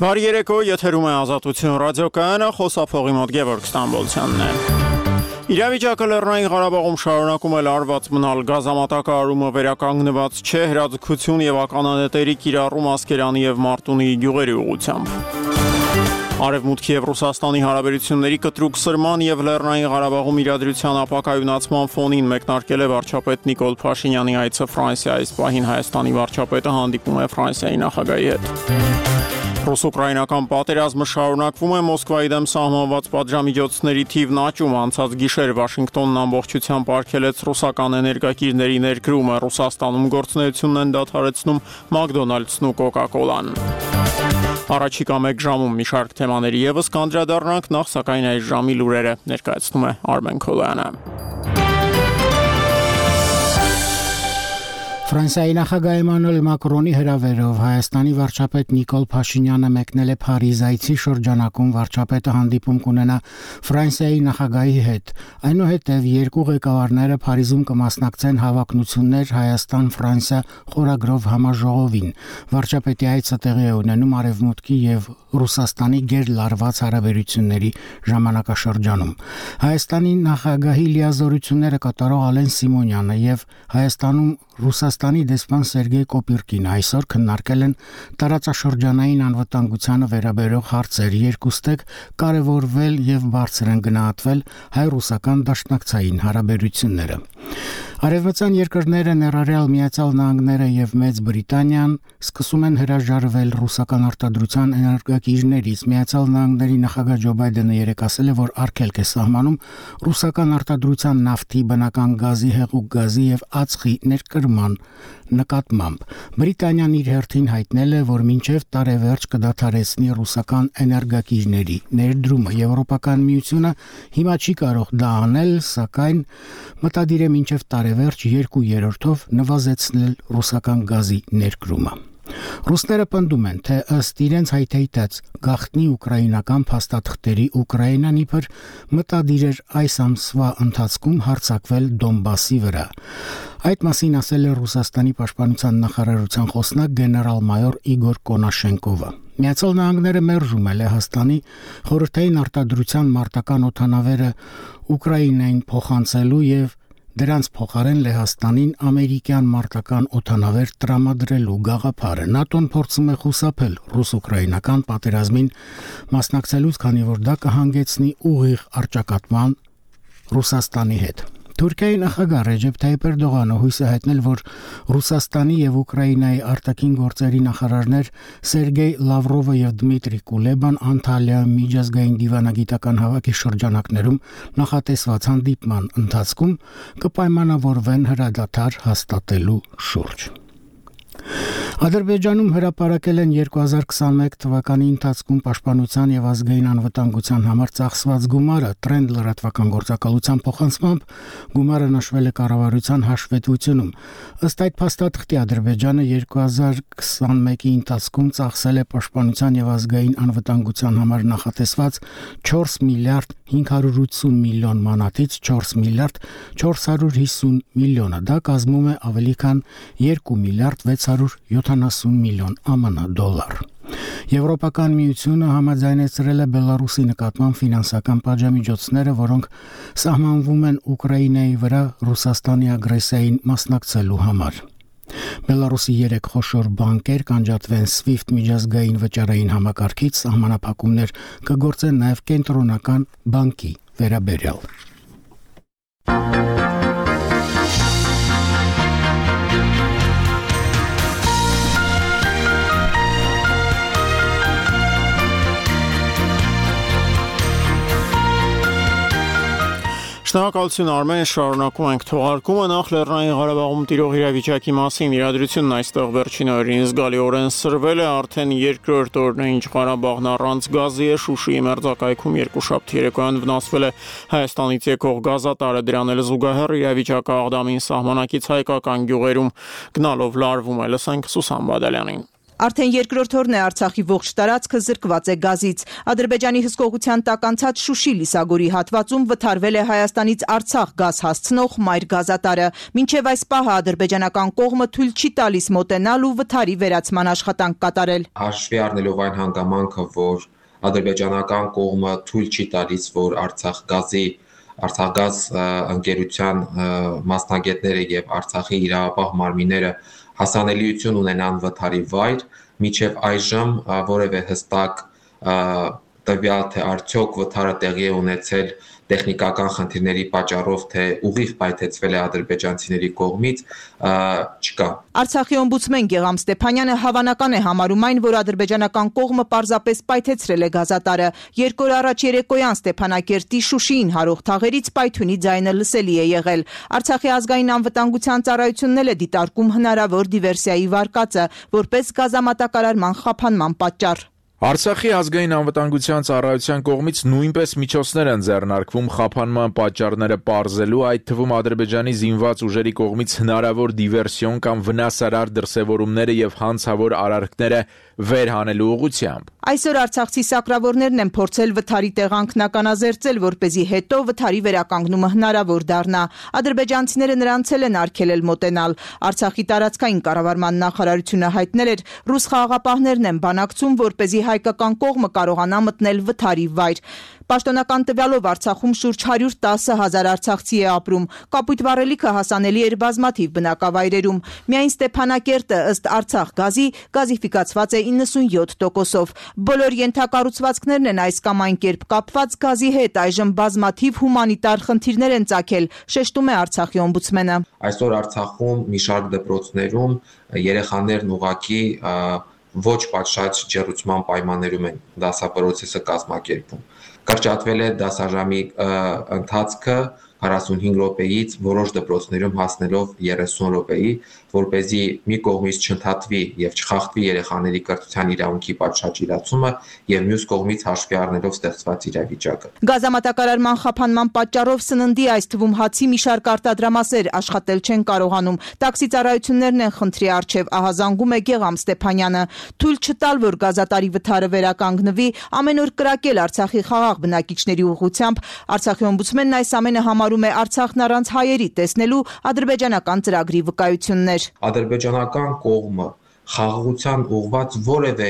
Բարի երեկո, եթերում է Ազատություն ռադիոկայանը, խոսափողի մոտ Գևորգ Ստամբոլցյանն է։ Իրավիճակը Լեռնային Ղարաբաղում շարունակում է լարված մնալ, գազամատակարարումը վերականգնված չէ, հրաձգություն եւ ականանետերի կիրառում Ասկերանի եւ Մարտունի գյուղերի ուղղությամբ։ Արևմուտքի եւ Ռուսաստանի հարաբերությունների կտրուկ սրման եւ Լեռնային Ղարաբաղում իրադրության ապակայունացման ֆոնին մեկնարկել է վարչապետ Նիկոլ Փաշինյանի այցը Ֆրանսիա, այս պահին Հայաստանի վարչապետը հանդիպում է Ֆրանսիայի նախագահի հետ։ Ռուս-ուկրաինական պատերազմը շարունակվում է, Մոսկվայի դեմ սահմանված պատժամիջոցների թիվն աճում, անցած գիշեր Վաշինգտոնն ամբողջությամբ արգելեց ռուսական էներգակիրների ներկրումը, Ռուսաստանում գործունեությունն են դադարեցնում Մակդոնալդսն ու Կոկա-Կոլան։ Առաջիկա մեկ ժամում մի շարք թեմաների եւս կանդրադառնանք, նախ սակայն այս ժամի լուրերը ներկայացնում է Արմեն Քոլյանը։ Ֆրանսիայի նախագահ Էմանուել Մակրոնի հրավերով Հայաստանի վարչապետ Նիկոլ Փաշինյանը մեկնել է Փարիզ, այցի շրջանակում վարչապետը հանդիպում կունենա Ֆրանսիայի նախագահի հետ։ Այնուհետև երկու ղեկավարները Փարիզում կմասնակցեն հավակնություններ Հայաստան-Ֆրանսիա խորագրով համաժողովին։ Վարչապետի այցը տեղի է ունենում Արևմուտքի եւ Ռուսաստանի գերլարված հարաբերությունների ժամանակաշրջանում։ Հայաստանի նախագահի լիազորությունները կատարող Ալեն Սիմոնյանը եւ Հայաստանում Ռուսաստանի դեսպան Սերգեյ Կոպիրկին այսօր քննարկել են տարածաշրջանային անվտանգությանը վերաբերող հարցեր, երկուստեք կարևորվել եւ բարձր են գնահատվել հայ-ռուսական դաշնակցային հարաբերությունները։ Արևմտյան երկրները ներառյալ Միացյալ Նահանգները եւ Մեծ Բրիտանիան սկսում են հրաժարվել ռուսական արտադրության էներգակիրներից։ Միացյալ Նահանգների նախագահ Ջո Բայդենը երեկ ասել է, որ արգելք է սահմանում ռուսական արտադրության նավթի, բնական գազի, հեղուկ գազի եւ ածխի ներկրման նկատմամբ։ Բրիտանիան իր հերթին հայտնել է, որ մինչև տարեվերջ կդադարեցնի ռուսական էներգակիրների ներդրումը։ Եվրոպական միությունը հիմա չի կարող դա անել, սակայն մտադիր է մինչև տարեվերջ 2/3-ով նվազեցնել ռուսական գազի ներկրումը։ Ռուսները պնդում են, թե ըստ իրենց հայտարարած գաղտնի ուկրաինական փաստաթղթերի Ուկրաինան իբր մտադիր էր այս ամսվա ընթացքում հարձակվել Դոնբասի վրա։ Այդ մասին ասել է Ռուսաստանի պաշտպանության նախարարության խոսնակ գեներալ-մայոր Իգոր Կոնաշենկովը։ Միացյալ Նահանգները մերժում է Լեհաստանի խորհրդային արտադրության մարտական օդանավերը Ուկրաինային փոխանցելու եւ դրանց փոխարեն Լեհաստանին ամերիկյան մարտական օդանավեր տրամադրելու գաղափարը։ ՆԱՏՕ-ն փորձում է խուսափել ռուս-ուկրաինական պատերազմին մասնակցելուց, քանի որ դա կհանգեցնի ուղիղ առճակատման Ռուսաստանի հետ։ Թուրքիայի նախագահ Ռեջեփ Թայիփ Էրդողանը հույս է հայտնել, որ Ռուսաստանի եւ Ուկրաինայի արտաքին գործերի նախարարներ Սերգեյ Լավրովը եւ Դմիտրի Կուլեբան Անտալիայում միջազգային դիվանագիտական հավաքի շրջանակներում նախատեսված հանդիպման ընթացքում կպայմանավորվեն հրադադար հաստատելու շուրջ։ Ադրբեջանում հրապարակել են 2021 թվականի ընթացքում պաշտպանության եւ ազգային անվտանգության համար ծախսված գումարը։ Trend լրատվական գործակալության փոխանցմամբ գումարը նշվել է կառավարության հաշվետվությունում։ Ըստ այդ փաստաթղթի Ադրբեջանը 2021-ի ընթացքում ծախսել է պաշտպանության եւ ազգային անվտանգության համար նախատեսված 4 միլիարդ 580 միլիոն մանաթից 4 միլիարդ 450 միլիոնը։ Դա կազմում է ավելի քան 2 միլիարդ 670 միլիոն ԱՄՆ դոլար։ Եվրոպական միությունը համաձայնեցրել է Բելարուսի նկատմամբ ֆինանսական պատժամիջոցները, որոնք սահմանվում են Ուկրաինայի վրա Ռուսաստանի ագրեսիային մասնակցելու համար։ Բելարուսի 3 խոշոր բանկեր կանջատվեն SWIFT միջազգային վճարային համակարգից, սահմանափակումներ կգործեն նաև կենտրոնական բանկի վերաբերյալ։ Շնորհակալություն Արմեն, շարունակում ենք թողարկումը, նախ Լեռնային Ղարաբաղում տիրող իրավիճակի մասին իրադրությունն այստեղ վերջին օրերին զգալիորեն սրվել է, արդեն երկրորդ օրն է, ինչ Ղարաբաղն առանց գազի է, Շուշիի մերձակայքում երկուշաբթի երեկոյան վնասվել է Հայաստանից եկող գազատարը, դրան էլ զուգահեռ իրավիճակը Աղդամին սահմանակից հայկական գյուղերում գնալով լարվում է, լսենք Սուսան Բադալյանին։ Արդեն երկրորդ օրն է Արցախի ողջ տարածքը զրկված է գազից։ Ադրբեջանի հսկողության տակ անցած Շուշի-Լիսագորի հատվածում վթարվել է Հայաստանից Արցախ գազ հասցնող մայր գազատարը։ Մինչև այս պահը ադրբեջանական կողմը թույլ չի տալիս մոտենալ ու վթարի վերացման աշխատանք կատարել։ Հաշվի առնելով այն հանգամանքը, որ ադրբեջանական կողմը թույլ չի տալիս, որ Արցախգազ ընկերության մասնագետները եւ Արցախի իրավապահ մարմինները հասանելիություն ունենան վթարի վայր, մինչև այժմ որևէ հստակ տվյալ, թե արդյոք վթարը տեղի է ունեցել տեխնիկական խնդիրների պատճառով, թե ուղիղ պայթեցվել է ադրբեջանցիների կողմից, չկա։ Արցախի օմբուդսմեն Գեղամ Ստեփանյանը հավանական է համարում այն, որ ադրբեջանական կողմը պարզապես պայթեցրել է գազատարը։ Երկու օր առաջ երեկոյան Ստեփանակերտի Շուշիին հարող թաղերից պայթյունի ձայնը լսելի է եղել։ Արցախի ազգային անվտանգության ծառայությունն էլ է դիտարկում հնարավոր դիվերսիայի վարկածը, որպես գազամատակարարման խափանման պատճառ։ Արցախի ազգային անվտանգության ծառայության կողմից նույնպես միջոցներ են ձեռնարկվում խափանման պատճառները պարզելու, այդ թվում Ադրբեջանի զինված ուժերի կողմից հնարավոր դիվերսիոն կամ վնասարար դրսևորումները եւ հանցավոր արարքները վերհանելու ուղղությամբ։ Այսօր արցախցի սակրավորներն են փորձել վթարի տեղանքն ականազերծել, որպեսզի հետո վթարի վերականգնումը հնարավոր դառնա։ Ադրբեջանցիները նրանց են արգելել մոտենալ։ Արցախի տարածքային կառավարման նախարարությունը հայտնել էր, ռուս խաղաղապահներն են բանակցում, որպեսզի հայկական կողմը կարողանա մտնել վթարի վայր։ Պաշտոնական տվյալով Արցախում շուրջ 110,000 արցախցի է ապրում։ Կապույտ վառելիքը հասանելի էր բազմաթիվ բնակավայրերում։ Միայն Ստեփանակերտը ըստ Արցախ գազի գազիֆիկացված է 97%-ով։ Բոլոր ենթակառուցվածքներն են այս կամ այն կերպ կապված գազի հետ, այժմ բազմաթիվ հումանիտար խնդիրներ են ծագել, շեշտում է Արցախի օմբուդսմենը։ Այսօր Արցախում մի շարք դպրոցներում երեխաներն ուղղակի ոչ պատշաճ ջեռուցման պայմաններում են դասապրոցեսը կազմակերպում։ Կրճատվել է դասաժամի ընթացքը 45 րոպեից որոշ դպրոցներում հասնելով 30 րոպեի, որպեսզի մի կողմից չընդհատվի եւ չխախտվի երեխաների կրթության իրավունքի պատշաճ իրացումը եւ մյուս կողմից հաշվի առնելով ստեղծված իրավիճակը։ Գազամատակարարման խափանման պատճառով սննդի, այս թվում հացի մի շարք արտադրամասեր աշխատել չեն կարողանում։ Տաքսի ծառայություններն են խնդրի առջև, ահազանգում է Գեղամ Ստեփանյանը։ Թույլ չտալ, որ գազատարի վթարը վերականգնվի, ամեն օր կրակել Արցախի խաղաղ բնակիչների ուղղությամբ։ Արցախի օմբուդսմենն այս ամենը համարում է Արցախն առանց հայերի տեսնելու ադրբեջանական ծրագրի վկայություններ։ Ադրբեջանական կողմը խաղաղության ուղղված որևէ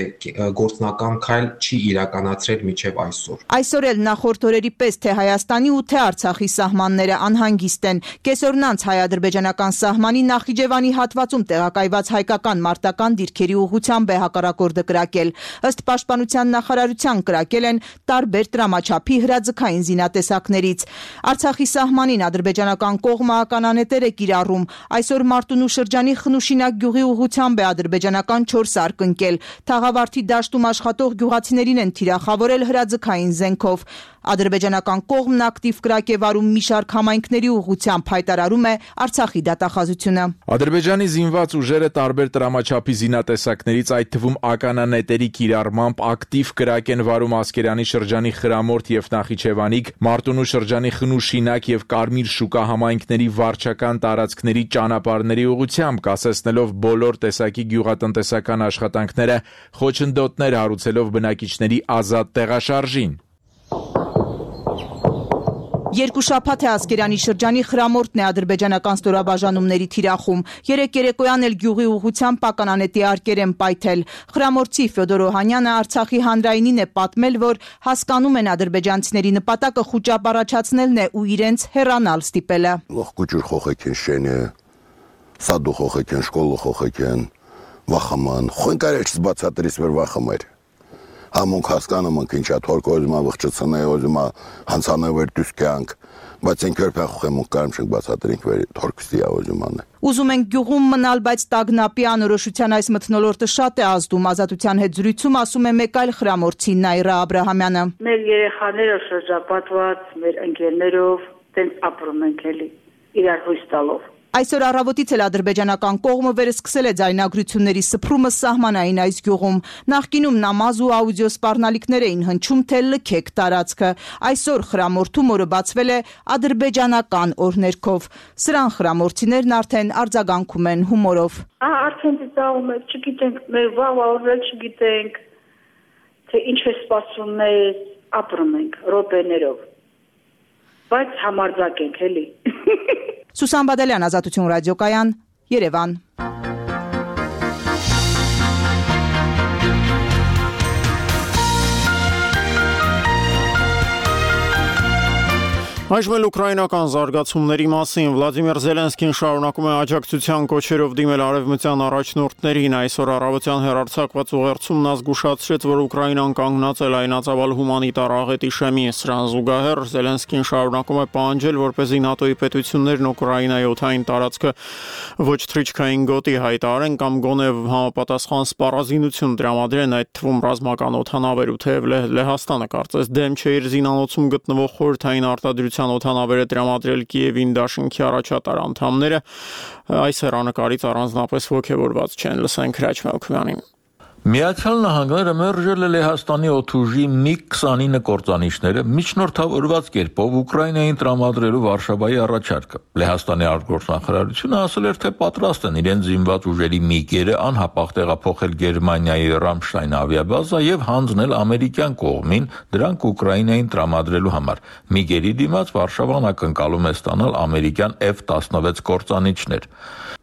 գործնական քայլ չի իրականացրել մինչև այսօր։ Այսօր էլ նախորդ օրերի պես թե Հայաստանի ու թե Արցախի սահմանները անհանգիստ են։ Կեսօրն անց հայ-ադրբեջանական սահմանի Նախիջևանի հատվածում տեղակայված հայկական մարտական դիրքերի ուղղությամբ է հակառակորդը կրակել։ Ըստ Պաշտպանության նախարարության կրակել են տարբեր տրամաչափի հրաձգային զինատեսակներից։ Արցախի սահմանին ադրբեջանական կողմը ականանետեր է կիրառում։ Այսօր Մարտունու շրջանի Խնուշինակ գյուղի ուղղությամբ է ադրբեջանական 4 սարք ընկել։ Թաղավարտի դաշտում աշխատող գյուղացիներին են թիրախավորել հրաձգային զենքով։ Ադրբեջանական կողմն ակտիվ կրակ է վարում մի շարք համայնքների ուղղությամբ, հայտարարում է Արցախի դատախազությունը։ Ադրբեջանի զինված ուժերը տարբեր տրամաչափի զինատեսակներից, այդ թվում ականանետերի կիրառմամբ ակտիվ կրակ են վարում Ասկերանի շրջանի Խրամորդ եւ Նախիջևանիկ, Մարտունու շրջանի Խնուշինակ եւ Կարմիր շուկա համայնքների վարչական տարածքների ճանապարհների ուղղությամբ, կասեցնելով բոլոր տեսակի գյուղատնտեսական աշխատանքները, խոչընդոտներ հարուցելով բնակիչների ազատ տեղաշարժին։ Երկու շաբաթ է Ասկերանի շրջանի Խրամորդն է ադրբեջանական ստորաբաժանումների թիրախում։ Երեկ երեկոյան էլ գյուղի ուղղությամբ ականանետի արկեր են պայթել։ Խրամորդցի Ֆյոդոր Օհանյանը Արցախի հանրայինին է պատմել, որ հասկանում են ադրբեջանցիների նպատակը խուճապ առաջացնելն է ու իրենց հեռանալ ստիպելը։ Կուճուր խոխեքեն շենը, սադու խոխեքեն, շկոլը խոխեքեն, վախաման, խոնկարեչ բացատրիս վեր վախամեր։ Համոնք հասկանում ենք ինչա թորկոզմա վղճցնե ոզմա հանցանե վեր դուսքյանք, բայց ենք երբ խոխեմոնք կարում չենք բացատրենք վեր թորքստի ոզմանը։ Ուզում ենք գյուղում մնալ, բայց տագնապի անորոշության այս մթնոլորտը շատ է ազդում։ Ազատության հետ զրույցում ասում է մեկ այլ խրամորդցի Նայրա Աբրահամյանը։ Մեր երեխաները շրջապատված մեր ընկերներով տենց ապրում ենք էլի, իրար հույս տալով։ Այսօր առավոտից էլ ադրբեջանական կողմը վերսկսել է ձայնագրությունների սփռումը սահմանային այս գյուղում։ Նախկինում նամազ ու աուդիո սպառնալիքներ էին հնչում, թե լքեք տարածքը։ Այսօր խրամորդում օրը բացվել է ադրբեջանական օրհներգով։ Սրան խրամորդիներն արդեն արձագանքում են հումորով։ Արդեն ծաղում եք, չգիտենք, մեր վաղ օրերը չգիտենք, թե ինչ է սպասում մեզ, ապրում ենք րոպեներով, բայց համարձակ ենք էլի։ Սուսան Բադալյան, Ազատություն ռադիոկայան, Երևան։ Այժմ էլ ուկրաինական զարգացումների մասին Վլադիմիր Զելենսկին շարունակում է աջակցության կոչերով դիմել արևմտյան առաջնորդներին։ Այսօր առավոտյան հեռարձակված ուղերձում նա զգուշացրեց, որ Ուկրաինան կանգնած է լայնածավալ հումանիտար աղետի շեմի։ Սրան զուգահեռ Զելենսկին շարունակում է պահանջել, որպեսզի ՆԱՏՕ-ի պետություններն Ուկրաինայի օդային տարածքը ոչ թռիչքային գոտի հայտարարեն կամ գոնե համապատասխան սպառազինություն տրամադրեն, այդ թվում ռազմական օդանավեր, ու թեև Լեհաստանը կարծես դեմ չէ իր զինանոցում գտնվող խորհրդային արտադրության օդանավերը տրամադրել Կիևին դաշինքի առաջատար անդամները այս հեռանկարից առանձնապես ոգևորված չեն։ Լսենք Հրաչ Մելքումյանին։ Միացյալ Նահանգները մերժել է Լեհաստանի օդուժի MiG-29 կործանիչները միջնորդավորված կերպով Ուկրաինային տրամադրելու Վարշավայի առաջարկը։ Լեհաստանի արտգործնախարարությունը ասել էր, թե պատրաստ են իրենց զինված ուժերի MiG-երը անհապաղ տեղափոխել Գերմանիայի Ռամշտայն ավիաբազա եւ հանձնել ամերիկյան կողմին դրանք Ուկրաինային տրամադրելու համար։ MiG-երի դիմաց Վարշավան ակնկալում է ստանալ ամերիկյան F-16 կործանիչներ։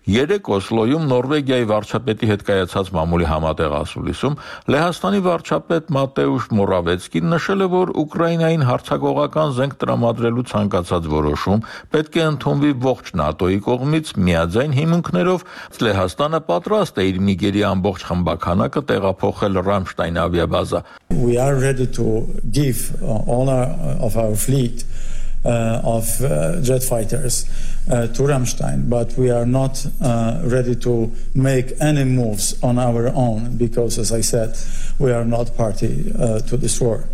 Երեկ Օսլոյում Նորվեգիայի վարչապետի հետ կայացած մամուլի համատեղ ասուլիսում Լեհաստանի վարչապետ Մատեուշ Մորավեցկին նշել է, որ Ուկրաինային հարձակողական զենք տրամադրելու ցանկացած որոշում պետք է ընդունվի ողջ ՆԱՏՕ-ի կողմից միաձայն հիմունքներով։ Լեհաստանը պատրաստ է իր միգերի ամբողջ խմբականակը տեղափոխել Ռամշտայն ավիաբազա։ We are ready to give all of our fleet of jet fighters to Ramstein, but we are not ready to make any moves on our own because, as I said, we are not party to this war.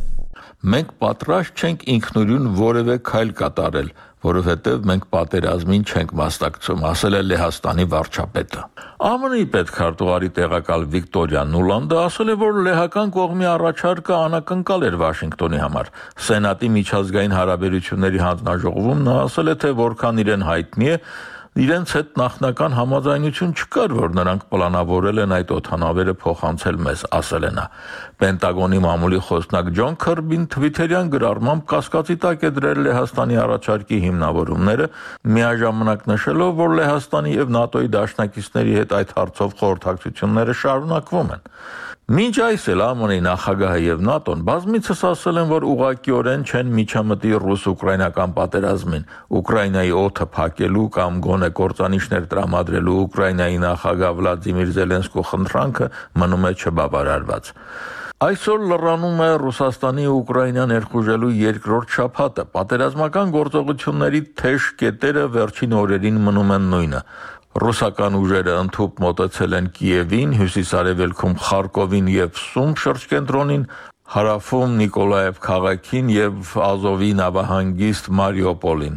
Մենք պատրաստ չենք ինքնուրույն որևէ քայլ կատարել, որովհետև մենք պատերազմին չենք մասնակցում, ասել է Լեհաստանի վարչապետը։ ԱՄՆ-ի պետքարտուղարի տեղակալ Վիկտորիա Նուլանդը ասել է, որ լեհական կողմի առաջարկը անակնկալ էր Վաշինգտոնի համար։ Սենատի միջազգային հարաբերությունների հանձնաժողովում նա ասել է, թե որքան իրեն հայտնի է, իրենց հետ նախնական համաձայնություն չկար, որ նրանք պլանավորել են այդ օդանավերը փոխանցել մեզ, ասել է նա։ Պենտագոնի մամուլի խոսնակ Ջոն Քըրբին թվիթերյան գրառմամբ կասկածի տակ է դրել Լեհաստանի առաջարկի հիմնավորումները, միաժամանակ նշելով, որ Լեհաստանի եւ ՆԱՏՕ-ի դաշնակիցների հետ այդ հարցով խորհրդակցությունները շարունակվում են։ Մինչ այս էլ ԱՄՆ-ի նախագահը եւ ՆԱՏՕ-ն բազմիցս ասել են, որ ուղղակիորեն չեն միջամտի ռուս-ուկրաինական պատերազմին, Ուկրաինայի օդը փակելու կամ գոնե կործանիչներ տրամադրելու Ուկրաինայի նախագահ Վլադիմիր Զելենսկու խնդրանքը մնում է չբավարարված։ Այսօր լրանում է Ռուսաստանի ու Ուկրաինա ներխուժելու երկրորդ շաբաթը։ Պատերազմական գործողությունների թեժ կետերը վերջին օրերին մնում են նույնը։ Ռուսական ուժերը ընդհուպ մոտեցել են Կիևին, հյուսիսարևելքում Խարկովին եւ Սում շրջկենտրոնին, հարավում Նիկոլաև քաղաքին եւ Ազովի նավահանգիստ Մարիուպոլին։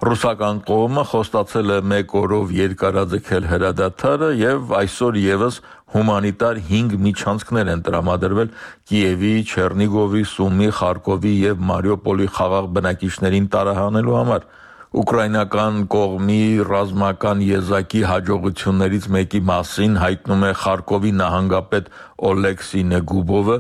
Ռուսական կողմը խոստացել է 1 օրով երկարաձգել հրադադարը եւ այսօր եւս հումանիտար 5 միջանցքներ են տրամադրվել Կիևի, Չեռնիգովի, Սումի, Խարկովի եւ Մարիուպոլի խաղաղ բնակիչներին տարահանելու համար։ Ուկրաինական կողմի ռազմական եզակի հաջողություններից մեկի մասին հայտնում է Խարկովի նահանգապետ Օլեքսի Նեգուբովը։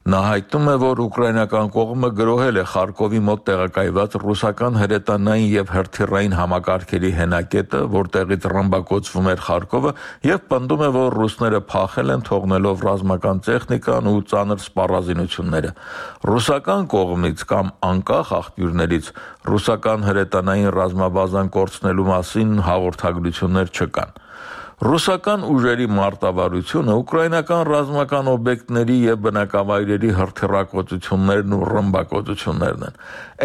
Նա հայտնում է, որ ուկրաինական կողմը գրոհել է Խարկովի մոտ տեղակայված ռուսական հրետանային եւ հրթիռային համակարգերի հենակետը, որտեղից ռմբակոծվում էր Խարկովը, եւ պնդում է, որ ռուսները փախել են, թողնելով ռազմական տեխնիկան ու ծանր սպառազինությունները։ Ռուսական կողմից կամ անկախ աղբյուրներից ռուսական հրետանային ռազմաբազան կորցնելու մասին հաղորդագրություններ չկան։ Ռուսական ուժերի մարտավարությունը ուկրաինական ռազմական օբյեկտների եւ բնակավայրերի հրթիռակոծություններն ու ռմբակոծություններն են։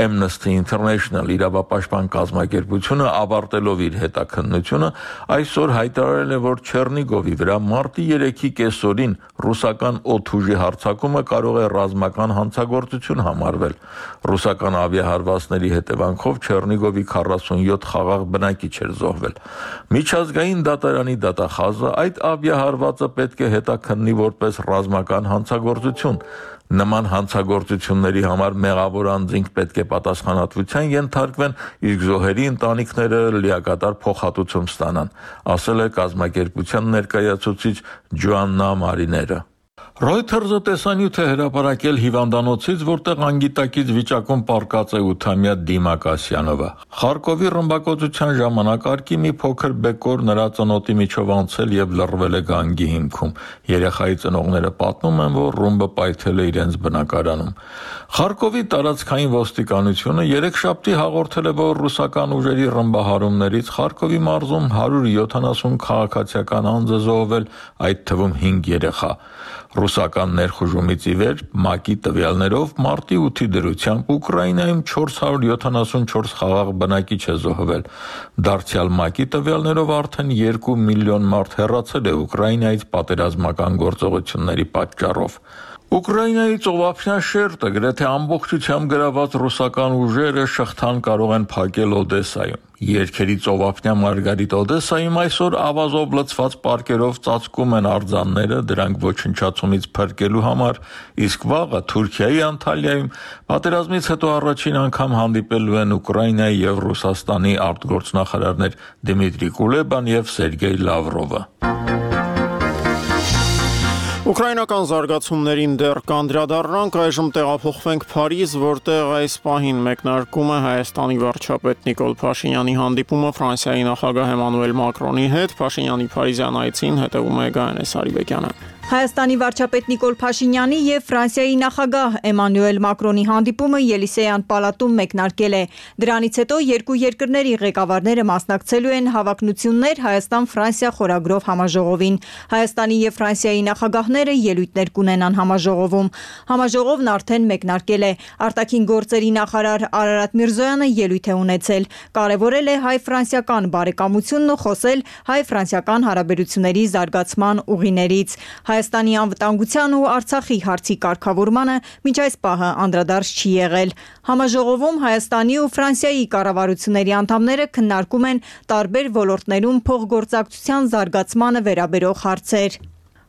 Amnesty International իրավապաշտպան կազմակերպությունը ավարտելով իր հետաքննությունը այսօր հայտարարել է, որ Չեռնիգովի վրա մարտի 3-ի կեսօրին ռուսական օդուժի հարձակումը կարող է ռազմական հանցագործություն համարվել։ Ռուսական ավիահարվածների հետևանքով Չեռնիգովի 47 խաղաղ բնակիչ էր զոհվել։ Միջազգային դատարանի դատախազը այդ ավիահարվածը պետք է հետաքննի որպես ռազմական հանցագործություն։ Նման հանցագործությունների համար մեղավոր անձինք պետք է պատասխանատվության ենթարկվեն, իսկ զոհերի ընտանիքները լիակատար փոխհատուցում ստանան, ասել է կազմակերպության ներկայացուցիչ Ջոաննա Մարիները։ Reuters-ը տեսանյութ է հրապարակել հիվանդանոցից, որտեղ անգիտակից վիճակում պառկած է 8-ամյա Դիմա Կասյանովը։ Խարկովի ռմբակոծության ժամանակ արկի մի փոքր բեկոր նրա ծնոտի միջով անցել եւ լռվել է գանգի հիմքում։ Երեխայի ծնողները պատմում են, որ ռումբը պայթել է իրենց բնակարանում։ Խարկովի տարածքային ոստիկանությունը երեքշաբթի հաղորդել է, որ ռուսական ուժերի ռմբահարումներից Խարկովի մարզում 170 քաղաքացիական անձ է զոհվել, այդ թվում 5 երեխա։ Ռուսական ներխուժումից ի վեր ՄԱԿ-ի տվյալներով մարտի 8-ի դրությամբ Ուկրաինայում 474 խաղաղ բնակիչ է զոհվել։ Դարձյալ ՄԱԿ-ի տվյալներով արդեն 2 միլիոն մարդ հեռացել է Ուկրաինայից պատերազմական գործողությունների պատճառով։ Ուկրաինայի ծովափնյա շերտը գրեթե ամբողջությամբ գրաված ռուսական ուժերը շղթան կարող են փակել Օդեսայում։ Երգերի ծովափնյա Մարգարիտ Օդեսայում այսօր ավազով լցված պարկերով ծածկում են արձանները դրանք ոչնչացումից փրկելու համար, իսկ վաղը Թուրքիայի Անտալիայում պատերազմից հետո առաջին անգամ հանդիպելու են Ուկրաինայի եւ Ռուսաստանի արտգործնախարարներ Դմիտրի Կուլեբան եւ Սերգեյ Լավրովը։ Ուկրաինական զարգացումներին դեռ կանդրադառնանք, այժմ տեղափոխվենք Փարիզ, որտեղ այս պահին մեկնարկում է Հայաստանի վարչապետ Նիկոլ Փաշինյանի հանդիպումը Ֆրանսիայի նախագահ Էմանուել Մակրոնի հետ։ Փաշինյանի Փարիզյան այցին հետևում է Գայանե Սարիբեկյանը։ Հայաստանի վարչապետ Նիկոլ Փաշինյանի եւ Ֆրանսիայի նախագահ Էմանուել Մակրոնի հանդիպումը Ելիսեյան պալատում մեկնարկել է։ Դրանից հետո երկու երկրների ղեկավարները մասնակցելու են հավակնություններ Հայաստան-Ֆրանսիա խորագրով համաժողովին։ Հայաստանի եւ Ֆրանսիայի նախագահները ելույթներ կունենան համաժողովում։ Համաժողովն արդեն մեկնարկել է։ Արտաքին գործերի նախարար Արարատ Միրզոյանը ելույթ է ունեցել։ Կարևորել է հայ-ֆրանսիական բարեկամությունն ու խոսել հայ-ֆրանսիական հարաբերությունների զարգացման ուղիներից։ Հայաստանի անվտանգության ու Արցախի հարցի կարգավորմանը մինչ այս պահը անդրադարձ չի եղել։ Համաժողովում Հայաստանի ու Ֆրանսիայի կառավարությունների անդամները քննարկում են տարբեր ոլորտներում փոխգործակցության զարգացմանը վերաբերող հարցեր։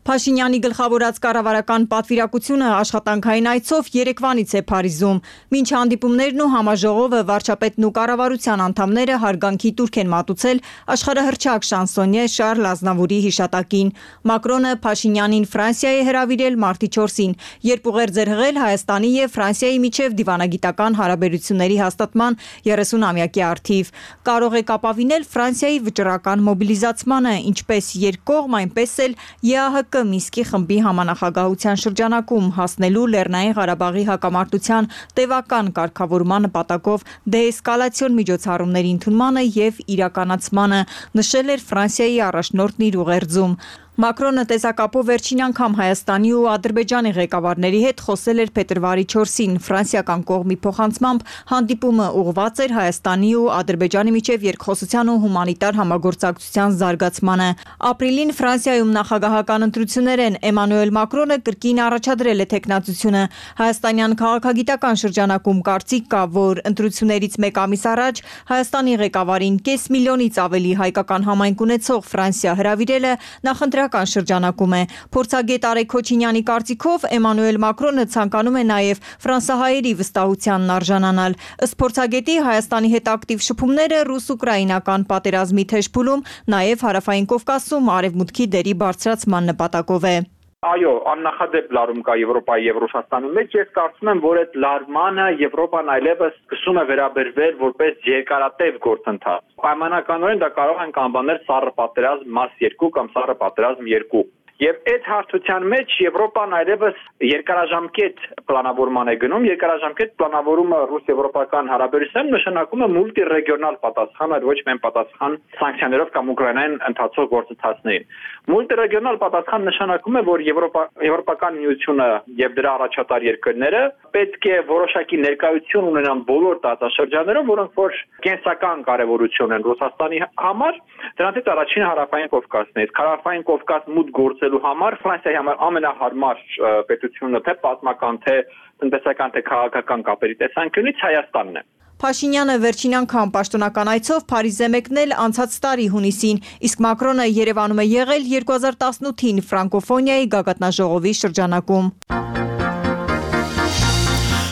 Փաշինյանի գլխավորած կառավարական պատվիրակությունը աշխատանքային այցով երեկվանից է Փարիզում։ Մինչ հանդիպումներն ու համաժողովը վարչապետն ու կառավարության անդամները հարգանքի տուրք են մատուցել աշխարհահռչակ շանսոնյե Շարլ Ազնավուրի հիշատակին։ Մակրոնը Փաշինյանին Ֆրանսիա է հրավիրել մարտի 4-ին, երբ ուղերձ էր հղել Հայաստանի եւ Ֆրանսիայի միջև դիվանագիտական հարաբերությունների հաստատման 30-ամյակի առթիվ։ Կարող է կապավինել Ֆրանսիայի վճռական մոբիլիզացմանը, ինչպես երկկողմ, այնպես էլ ԵԱՀԿ Միսկի խմբի համանախագահության շրջանակում հասնելու Լեռնային Ղարաբաղի հակամարտության տևական կարգավորման նպատակով դեէսկալացիոն միջոցառումների ընդունմանը եւ իրականացմանը, նշել էր Ֆրանսիայի առաջնորդն իր ուղերձում։ Մակրոնը տեսակապով վերջին անգամ Հայաստանի ու Ադրբեջանի ղեկավարների հետ խոսել էր փետրվարի 4-ին։ Ֆրանսիական կողմի փոխանցմամբ հանդիպումը ուղղված էր Հայաստանի ու Ադրբեջանի միջև երկխոսության ու հումանիտար համագործակցության զարգացմանը։ Ապրիլին Ֆրանսիայում նախագահական ընտրություններ են։ Էմանուել Մակրոնը կրկին առաջադրել է թեկնածությունը։ Հայաստանյան քաղաքագիտական շրջանակում կարծիք կա, որ ընտրություններից մեկ ամիս առաջ Հայաստանի ղեկավարին կես միլիոնից ավելի հայկական համայնք ունեցող Ֆրանսիա հրավիրելը նախընտրական շրջանակում է։ Փորձագետ Արեգ Քոչինյանի կարծիքով Էմանուել Մակրոնը ցանկանում է նաև ֆրանսահայերի վստահությանն արժանանալ։ Ըստ փորձագետի Հայաստանի հետ ակտիվ շփումները ռուս-ուկրաինական պատերազմի թեժփուլում, նաև Հարավային Կովկասում արևմուտքի դերի բարձրացման նպատակով է։ Այո, աննախադեպ լարում կա Եվրոպայի եւ Ռուսաստանի մեջ։ Ես կարծում եմ, որ այդ լարմանը Եվրոպան այլևս սկսում է վերաբերվել որպես երկարատև գործընթաց։ Պայմանականորեն դա կարող ենք անվանել սառը պատերազմ մաս 2 կամ սառը պատերազմ 2։ Եվ այդ հարթության մեջ Եվրոպան այլևս երկարաժամկետ պլանավորման է գնում, երկարաժամկետ պլանավորումը ռուս-եվրոպական հարաբերություններում նշանակում է մուլտիրեգիոնալ պատասխան, այլ ոչ միայն պատասխան սանկցիաներով կամ Ուկրաինային ընթացող գործընթացներին։ Մուլտիրեգիոնալ պատասխան նշանակում է, որ Եվրոպական միությունը եւ դրա առաջատար երկրները պետք է որոշակի ներկայություն ունենան բոլոր տարածաշրջաններում, որոնք որ կենսական կարևորություն են Ռուսաստանի համար, դրանից առաջինը Հարավային Կովկասն է։ Հարավային Կովկաս մուտք գործելու համար Ֆրանսիայի համար ամենահարմար պետությունը թե պատմական, թե տնտեսական, թե քաղաքական կապերի տեսանկյունից Հայաստանն է։ Փաշինյանը վերջին անգամ պաշտոնական այցով Փարիզ է մեկնել անցած տարի հունիսին, իսկ Մակրոնը Երևանում է եղել 2018-ին ֆրանկոֆոնիայի գագաթնաժողովի շրջանակում։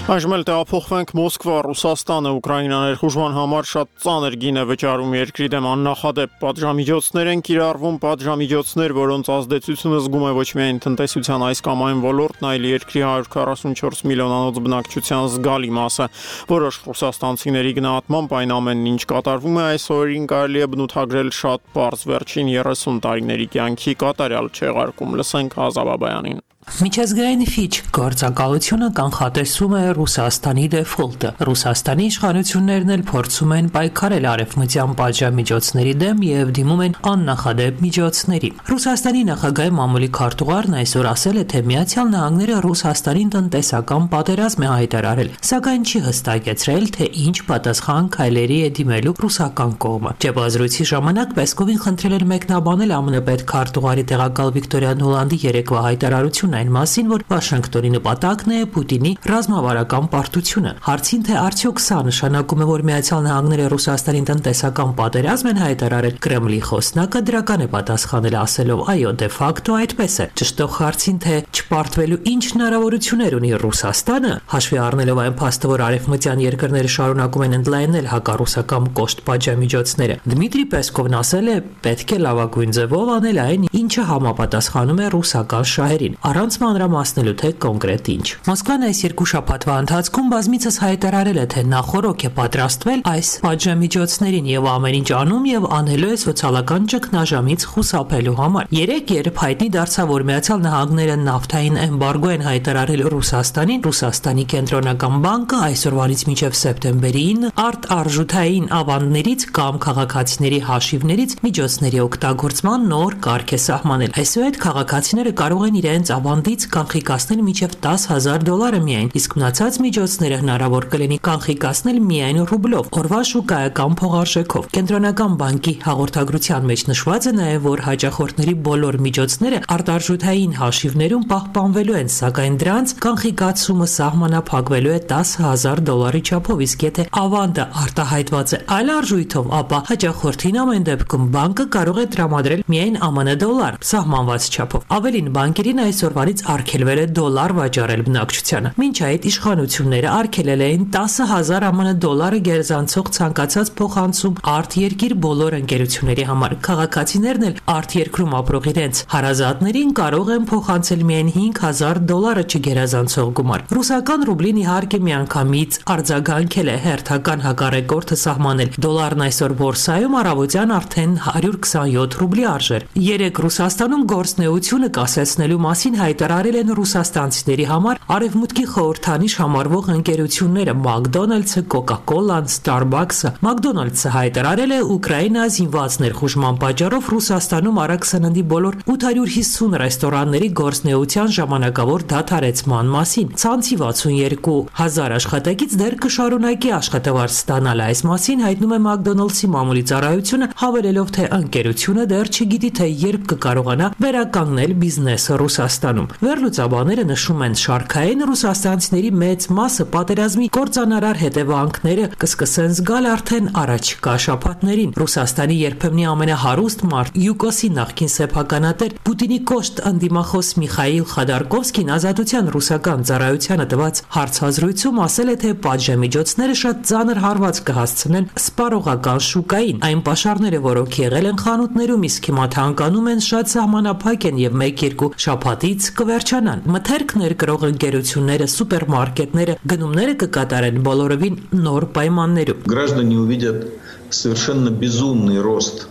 Այժմ էլ տեղափոխվենք Մոսկվա, Ռուսաստանը, Ուկրաինան ներխուժման համար շատ ծանր գին է վճարում երկրի դեմ աննախադեպ պատժամիջոցներ են կիրառվում, պատժամիջոցներ, որոնց ազդեցությունը զգում է ոչ միայն տնտեսության այս կամ այն ոլորտն, այլ երկրի 144 միլիոնանոց բնակչության զգալի մասը։ Որոշ ռուսաստանցիների գնահատմամբ այն ամենն, ինչ կատարվում է այս օրերին, կարելի է բնութագրել շատ պարզ վերջին 30 տարիների կյանքի կատարյալ չեղարկում։ Լսենք Ազաբաբայանին։ Միջազգային Ֆիչ գործակալությունը կանխատեսում է Ռուսաստանի դեֆոլտը։ Ռուսաստանի իշխանություններն էլ փորձում են պայքարել արևմտյան պատժամիջոցների դեմ եւ դիմում են աննախադեպ միջոցների։ Ռուսաստանի նախագահի մամուլի քարտուղարն այսօր ասել է, թե Միացյալ Նահանգները Ռուսաստանին տնտեսական պատերազմ է հայտարարել, սակայն չի հստակեցրել, թե ինչ պատասխան քայլերի է դիմելու ռուսական կողմը։ Ճեպազրույցի ժամանակ Պեսկովին խնդրել էր մեկնաբանել ԱՄՆ պետքարտուղարի տեղակալ Վիկտորիա Նուլանդի երեկվա հայտարարությունը այն մասին, որ Վաշինգտոնի նպատակն է Պուտինի ռազմավարական պարտությունը։ Հարցին, թե արդյոք սա նշանակում է, որ Միացյալ Նահանգները Ռուսաստանին տնտեսական պատերազմ են հայտարարել, Կրեմլի խոսնակը դրական է պատասխանել ասելով. այո, դե ֆակտո այդպես է։ Ճշտող հարցին, թե չպարտվելու ինչ հնարավորություններ ունի Ռուսաստանը, հաշվի առնելով այն փաստը, որ արևմտյան երկրները շարունակում են ընդլայնել հակառուսական կոշտ պատժամիջոցները, Դմիտրի Պեսկովն ասել է, պետք է լավագույն ձևով անել այն, ինչը համապատասխանում է ռուսական շահերին, առանց մանրամասնելու, թե կոնկրետ ինչ։ Մոսկվան այս երկու շաբաթվա ընթացքում բազմիցս հայտարարել է, թե նախորոք է պատրաստվել այս պատժամիջոցներին եւ ամեն ինչ անում եւ անելու է սոցիալական ճգնաժամից խուսափելու համար։ Երեք երբ հայտնի դարձավ, որ Միացյալ Նահանգները նավթային էմբարգո են հայտարարել Ռուսաստանին, Ռուսաստանի կենտրոնական բանկը այսօրվանից մինչև սեպտեմբերի 9 արտարժութային ավանդներից կամ քաղաքացիների հաշիվներից միջոցների օգտագործման նոր կարգ է սահմանել։ Այսուհետ քաղաքացիները կարող են իրենց ավանդից կանխիկացնել մինչև $10,000 միայն, իսկ մնացած միջոցները հնարավոր կլինի կանխիկացնել միայն ռուբլով, օրվա շուկայական փողարժեքով։ Կենտրոնական բանկի հաղորդագրության մեջ նշված է նաև, որ հաճախորդների բոլոր միջոցները արտարժութային հաշիվներում պահպանվելու են, սակայն դրանց կանխիկացումը սահմանափակվելու է $10,000 չափով, իսկ եթե ավանդը արտահայտված է այլ արժույթով, ապա հաճախորդին ամեն դեպքում բանկը կարող է տրամադրել միայն ԱՄՆ դոլար սահմանված չափով։ Ավելին, բանկերին այսօրվանից արգելվել է դոլար վաճառել բնակչությանը։ Մինչ այդ իշխանությունները արգելել էին $10,000 ԱՄՆ գերզանցող ցանկացած փոխանցում արտերկիր բոլոր ընկերությունների համար։ Քաղաքացիներն էլ արտերկրում ապրող իրենց հարազատներին կարող են փոխանցել միայն $5,000 չգերազանցող գումար։ Ռուսական ռուբլին իհարկե միանգամից արձագանքել է հերթական հակառեկորդը սահմանել։ Դոլարն այսօր բորսայում առավոտյան արդեն 127 ռուբլի արժեր։ Երեք Ռուսաստանում գործնեությունը կասեցնելու մասին հայտարարել են ռուսաստանցիների համար արևմուտքի խորհրդանիշ համարվող ընկերությունները McDonald's-ը, Coca-Cola-ն, Starbucks-ը։ McDonald's-ը հայտարարել է Ուկրաինա զինված ներխուժման պատճառով Ռուսաստանում արագ սննդի բոլոր 850 ռեստորանների գործնեության ժամանակավոր դադարեցման մասին։ Ցանցի 62,000 աշխատակից դեռ կշարունակի աշխատավարձ ստանալ։ Այս մասին հայտնում է McDonald's-ի մամուլի ծառայությունը, հավելելով, թե ընկերությունը դեռ չգիտի, թե երբ կկարողանա վերականգնել բիզնեսը Ռուսաստանում։ Վերլուծաբանները նշում են, շարքային ռուսաստանցիների մեծ մասը պատերազմի կործանարար հետևանքները կսկսեն զգալ արդեն առաջիկա շաբաթներին։ Ռուսաստանի երբեմնի ամենահարուստ մարդ ՅՈՒԿՕՍ-ի նախկին սեփականատեր Պուտինի կոշտ ընդդիմախոս Միխայիլ Խադարկովսկին ազատության ռուսական ծառայությանը տված հարցազրույցում ասել է, թե պատժամիջոցները շատ ծանր հարված կհասցնեն սպառողական շուկային։ Այն պաշարները, որոնք եղել են խանութներում, իսկ հիմա թանկանում են, շատ սահմանափակ են եւ 1-2 շաբաթից կվերջանան։ Մթերք ներկրող ընկերությունները, սուպերմարկետները գնումները կկատարեն բոլորովին նոր պայմաններում։ Граждане увидят совершенно безумный рост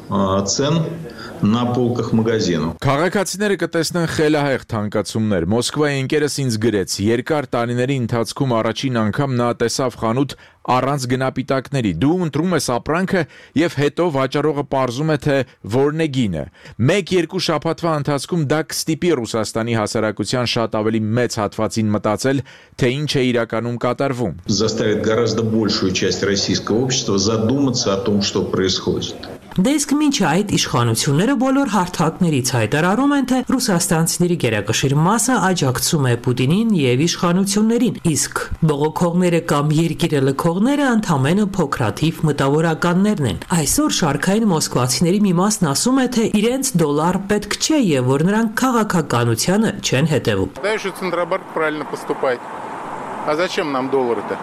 цен на полках магазинов. Քաղաքացիները կտեսնեն խելահեղ թանկացումներ։ Մոսկվայի ընկերս ինձ գրեց. երկար տարիների ընթացքում առաջին անգամ նա տեսավ խանութ առանց գնապիտակների։ Դու ընտրում ես ապրանքը եւ հետո վաճառողը պարզում է թե որն է գինը։ 1-2 շաբաթվա ընթացքում դա կստիպի Ռուսաստանի հասարակության շատ ավելի մեծ հատվածին մտածել, թե ինչ է իրականում կատարվում։ Заставит гораздо большую часть российского общества задуматься о том, что происходит. Դե իսկ մինչ այդ իշխանությունները բոլոր հարթակներից հայտարարում են, թե ռուսաստանցիների գերակշիռ մասը աջակցում է Պուտինին եւ իշխանություններին, իսկ բողոքողները կամ երկիրը լքողները ընդամենը փոքրաթիվ մտավորականներն են։ Այսօր շարքային մոսկվացիների մի մասն ասում է, թե իրենց դոլար պետք չէ եւ որ նրանք քաղաքականությանը չեն հետեւում։ Центробанк правильно поступает. А зачем нам доллары-то?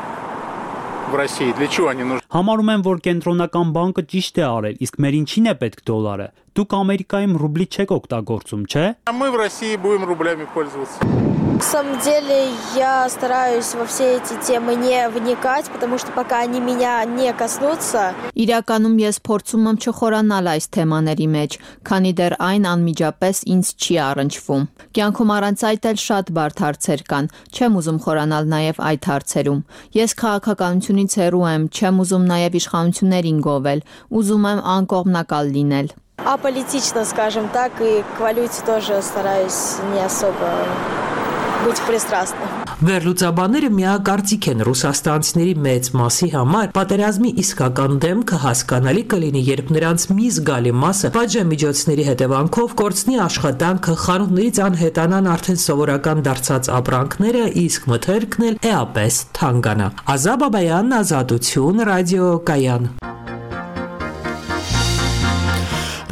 В России для чего они нужны? Համարում եմ, որ կենտրոնական բանկը ճիշտ է արել, իսկ մեր ինչին է պետք դոլարը։ Դուք Ամերիկայում ռուբլի չեք օգտագործում, չէ՞։ А мы в России будем рублями пользоваться. На самом деле я стараюсь во все эти темы не вникать, потому что пока они меня не коснутся. Իրականում ես փորձում եմ չխորանալ այս թեմաների մեջ, քանի դեռ այն անմիջապես ինձ չի առնչվում։ Կյանքում առանց այդ էլ շատ բարդ հարցեր կան, չեմ ուզում խորանալ նաև այդ հարցերում։ Ես քաղաքականությունից հեռու եմ, չեմ уզում նաև իշխանություններին գովել, ուզում եմ անկողմնակալ լինել։ Аполитично, скажем так, и к валюте тоже стараюсь не особо быть пристрастным. Վերլուծաբանները միակարծիք են ռուսաստանցիների մեծ մասի համար պատերազմի իսկական դեմքը հասկանալի կլինի, երբ նրանց մի զգալի մասը պատժամիջոցների հետևանքով կորցնի աշխատանքը, խանութներից անհետանան արդեն սովորական դարձած ապրանքները, իսկ մթերքն էլ էապես թանկանա։ Ազատ Բաբայան, Ազատություն, ռադիո Կայան։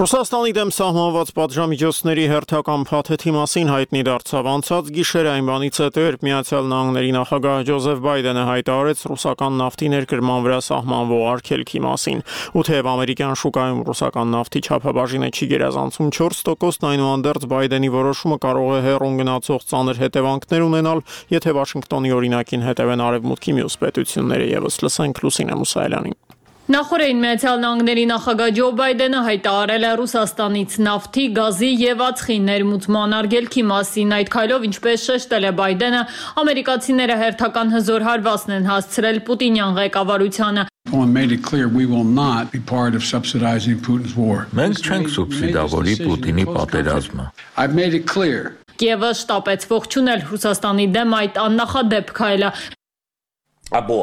Ռուսաստանի դեմ սահմանված պատժամիջոցների հերթական փաթեթի մասին հայտնի դարձավ անցած գիշերը այն բանից հետո, երբ Միացյալ Նահանգների նախագահ Ջոզեֆ Բայդենը հայտարարեց ռուսական նավթի ներկրման վրա սահմանվող արգելքի մասին։ Ու թեև ամերիկյան շուկայում ռուսական նավթի չափաբաժինը չի գերազանցում 4%, այնուհանդերձ Բայդենի որոշումը կարող է հեռուն գնացող ծանր հետևանքներ ունենալ, եթե Վաշինգտոնի օրինակին հետևեն արևմուտքի մյուս պետությունները ևս։ Լսենք Լուսինե Մուսայելյանին։ Նախորդին Միացյալ Նահանգների նախագահ Ջո Բայդենը հայտարարել է Ռուսաստանից նավթի, գազի եւ ածխի ներմուծման արգելքի մասին։ Այդ քայլով, ինչպես շեշտել է Բայդենը, ամերիկացիները հերթական հզոր հարվածն են հասցրել Պուտինյան ղեկավարությանը։ Մենք չենք սուբսիդավորի Պուտինի պատերազմը։ Կիևը շտապեց ողջունել Ռուսաստանի դեմ այդ աննախադեպ քայլը։ Або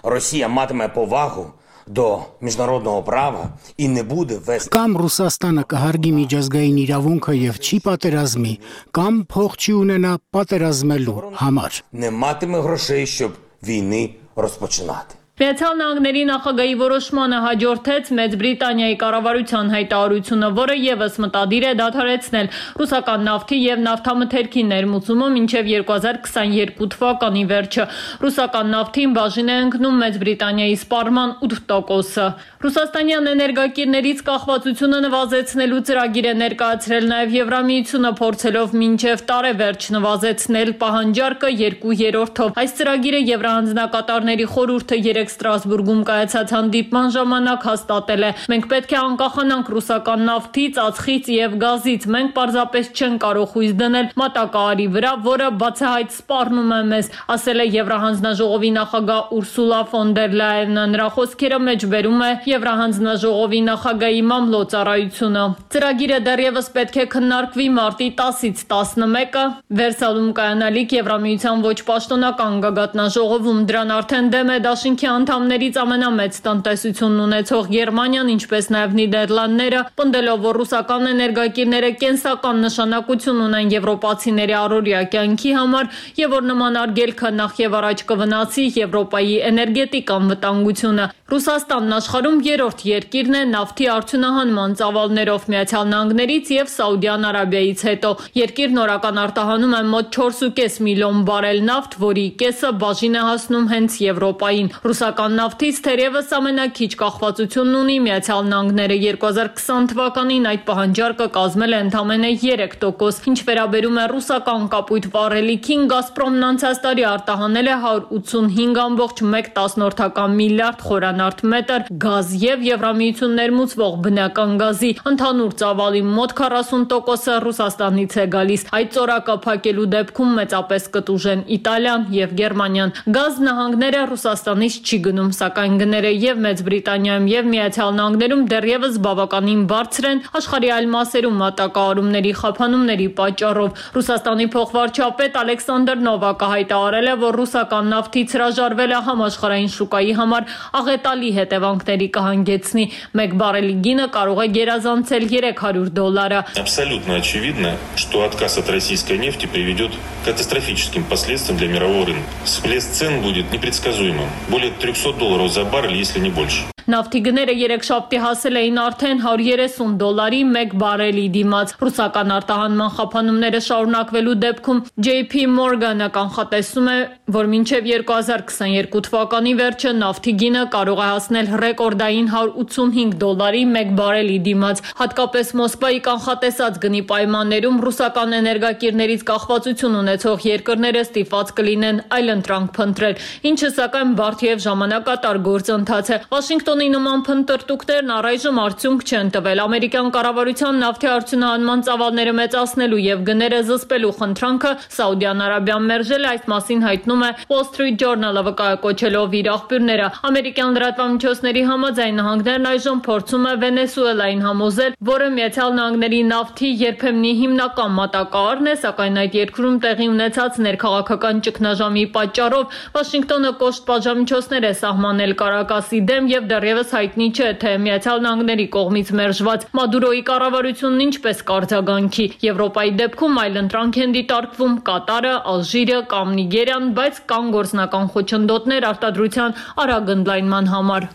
Росія матиме повагу до міжнародного права і не буде вести Կամ Ռուսաստանը կհարգի միջազգային իրավունքը եւ չի պատերազմի, կամ փող չի ունենա պատերազմելու համար։ Не матиме грошей, щоб війни розпочинати. Միացյալ Նահանգների նախագահի որոշմանը հաջորդեց Մեծ Բրիտանիայի կառավարության հայտարարությունը, որը ևս մտադիր է դադարեցնել ռուսական նավթի եւ նավթամթերքի ներմուծումը մինչեւ 2022 թվականի վերջը։ Ռուսական նավթին բաժին է ընկնում Մեծ Բրիտանիայի սպառման 8%-ը։ Ռուսաստանյան էներգակիրներից կախվածությունը նվազեցնելու ծրագիր է ներկայացրել նաեւ Եվրամիությունը, փորձելով մինչեւ տարեվերջ նվազեցնել պահանջարկը 2/3-ով։ Այս ծրագիրը Եվրահանձնակատարների խորհուրդը Ստրասբուրգում կայացած հանդիպման ժամանակ հաստատել է։ Մենք պետք է անկախանանք ռուսական նավթից, ածխից եւ գազից։ Մենք պարզապես չենք կարող հույս դնել մատակարարի վրա, որը բացահայտ սպառնում է մեզ, ասել է Եվրահանձնաժողովի նախագահ Ուրսուլա ֆոն դեր Լայենը։ Նրա խոսքերը մեջբերում է Եվրահանձնաժողովի նախագահի մամլոյցարայությունը։ Ծրագիրը դեռևս պետք է քննարկվի մարտի 10-ից 11-ը Վերսալում կայանալիք Եվրամիության ոչ պաշտոնական գագաթնաժողովում։ Դրան արդեն դեմ է դաշինքի անդամներից ամենամեծ տնտեսությունն ունեցող Գերմանիան, ինչպես նաև Նիդերլանդները, պնդելով, որ ռուսական էներգակիրները կենսական նշանակություն ունեն եվրոպացիների առօրյա կյանքի համար եւ որ նման արգելքը նախ եւ առաջ կվնասի Եվրոպայի էներգետիկ անվտանգությունը։ Ռուսաստանն աշխարհում երրորդ երկիրն է նավթի արդյունահանման ծավալներով Միացյալ Նահանգներից եւ Սաուդյան Արաբիայից հետո։ Երկիրն օրական արտահանում է մոտ 4.5 միլիոն բարել նավթ, որի կեսը բաժին է հասնում հենց Եվրոպային։ Ռուսական նավթից թերևս ամենաքիչ կախվածությունն ունի Միացյալ Նահանգները 2020 թվականին այդ պահանջարկը կազմել է ընդամենը 3%, ինչ վերաբերում է ռուսական կապույտ վառելիքին, Գազպրոմն անցած տարի արտահանել է 185.1 միլիարդ խորանարդ մետր գազ եւ Եվրամիություն ներմուծվող բնական գազի, ընդհանուր ծավալի մոտ 40%-ը Ռուսաստանից է գալիս, այդ ծորակը փակելու դեպքում մեծապես կտուժեն Իտալիան եւ Գերմանիան։ Գազ նահանգները Ռուսաստանից չի գնում, սակայն գները եւ Մեծ Բրիտանիայում եւ Միացյալ Նահանգներում դեռևս բավականին բարձր են աշխարհի այլ մասերում մատակարարումների խափանումների պատճառով։ Ռուսաստանի փոխվարչապետ Ալեքսանդր Նովակը հայտարարել է, որ ռուսական նավթից հրաժարվելը համաշխարհային շուկայի համար աղետալի հետևանքների կհանգեցնի։ Մեկ բարելի գինը կարող է գերազանցել $300։ Абсолютно очевидно, что отказ от российской нефти приведет к катастрофическим последствиям для мирового рынка. Всплеск цен будет непредсказуемым. Более $300 за баррель, если не больше. Նավթի գները երեքշաբթի հասել էին արդեն $130 մեկ բարելի դիմաց։ Ռուսական արտահանման խափանումները շարունակվելու դեպքում JP Morgan-ը կանխատեսում է, որ մինչև 2022 թվականի վերջը նավթի գինը կարող է հասնել ռեկորդային $185 մեկ բարելի դիմաց։ Հատկապես Մոսկվայի կանխատեսած գնի պայմաններում ռուսական էներգակիրներից կախվածություն ունեցող երկրները ստիպված կլինեն այլընտրանք փնտրել, ինչը սակայն բարդ եւ ժամանակատար գործընթաց է։ Վաշինգտոնի նման փնտրտուքներն առայժմ արդյունք չեն տվել։ Ամերիկյան կառավարության նավթի արդյունահանման ծավալները մեծացնելու եւ գները զսպելու խնդրանքը Սաուդյան Արաբիան մերժել է, այս մասին հայտնում է Wall Street Journal-ը վկայակոչելով իր աղբյուրները։ Ամերիկյան լրատվամիջոցների համաձայն նահանգներն այժմ փորձում է Վենեսուելային համոզել, որը Միացյալ Նահանգների նավթի երբեմնի հիմնական մատակարարն է, սակայն այդ երկրում տեղի ունեցած ներքաղաքական ճգնաժամի պատճառով Վաշինգտոնը կոշտ պատժամիջոցներ է սահմանել Կարակասի դեմ եւ դեռևս հայտնի չէ, թե Միացյալ Նահանգների կողմից մերժված Մադուրոյի կառավարությունն ինչպես կարձագանքի։ Եվրոպայի դեպքում այլընտրանք են դիտարկվում Կատարը, Ալժիրը կամ Նիգերիան, բայց կան գործնական խոչընդոտներ արտադրության արագ ընդլայնման համար։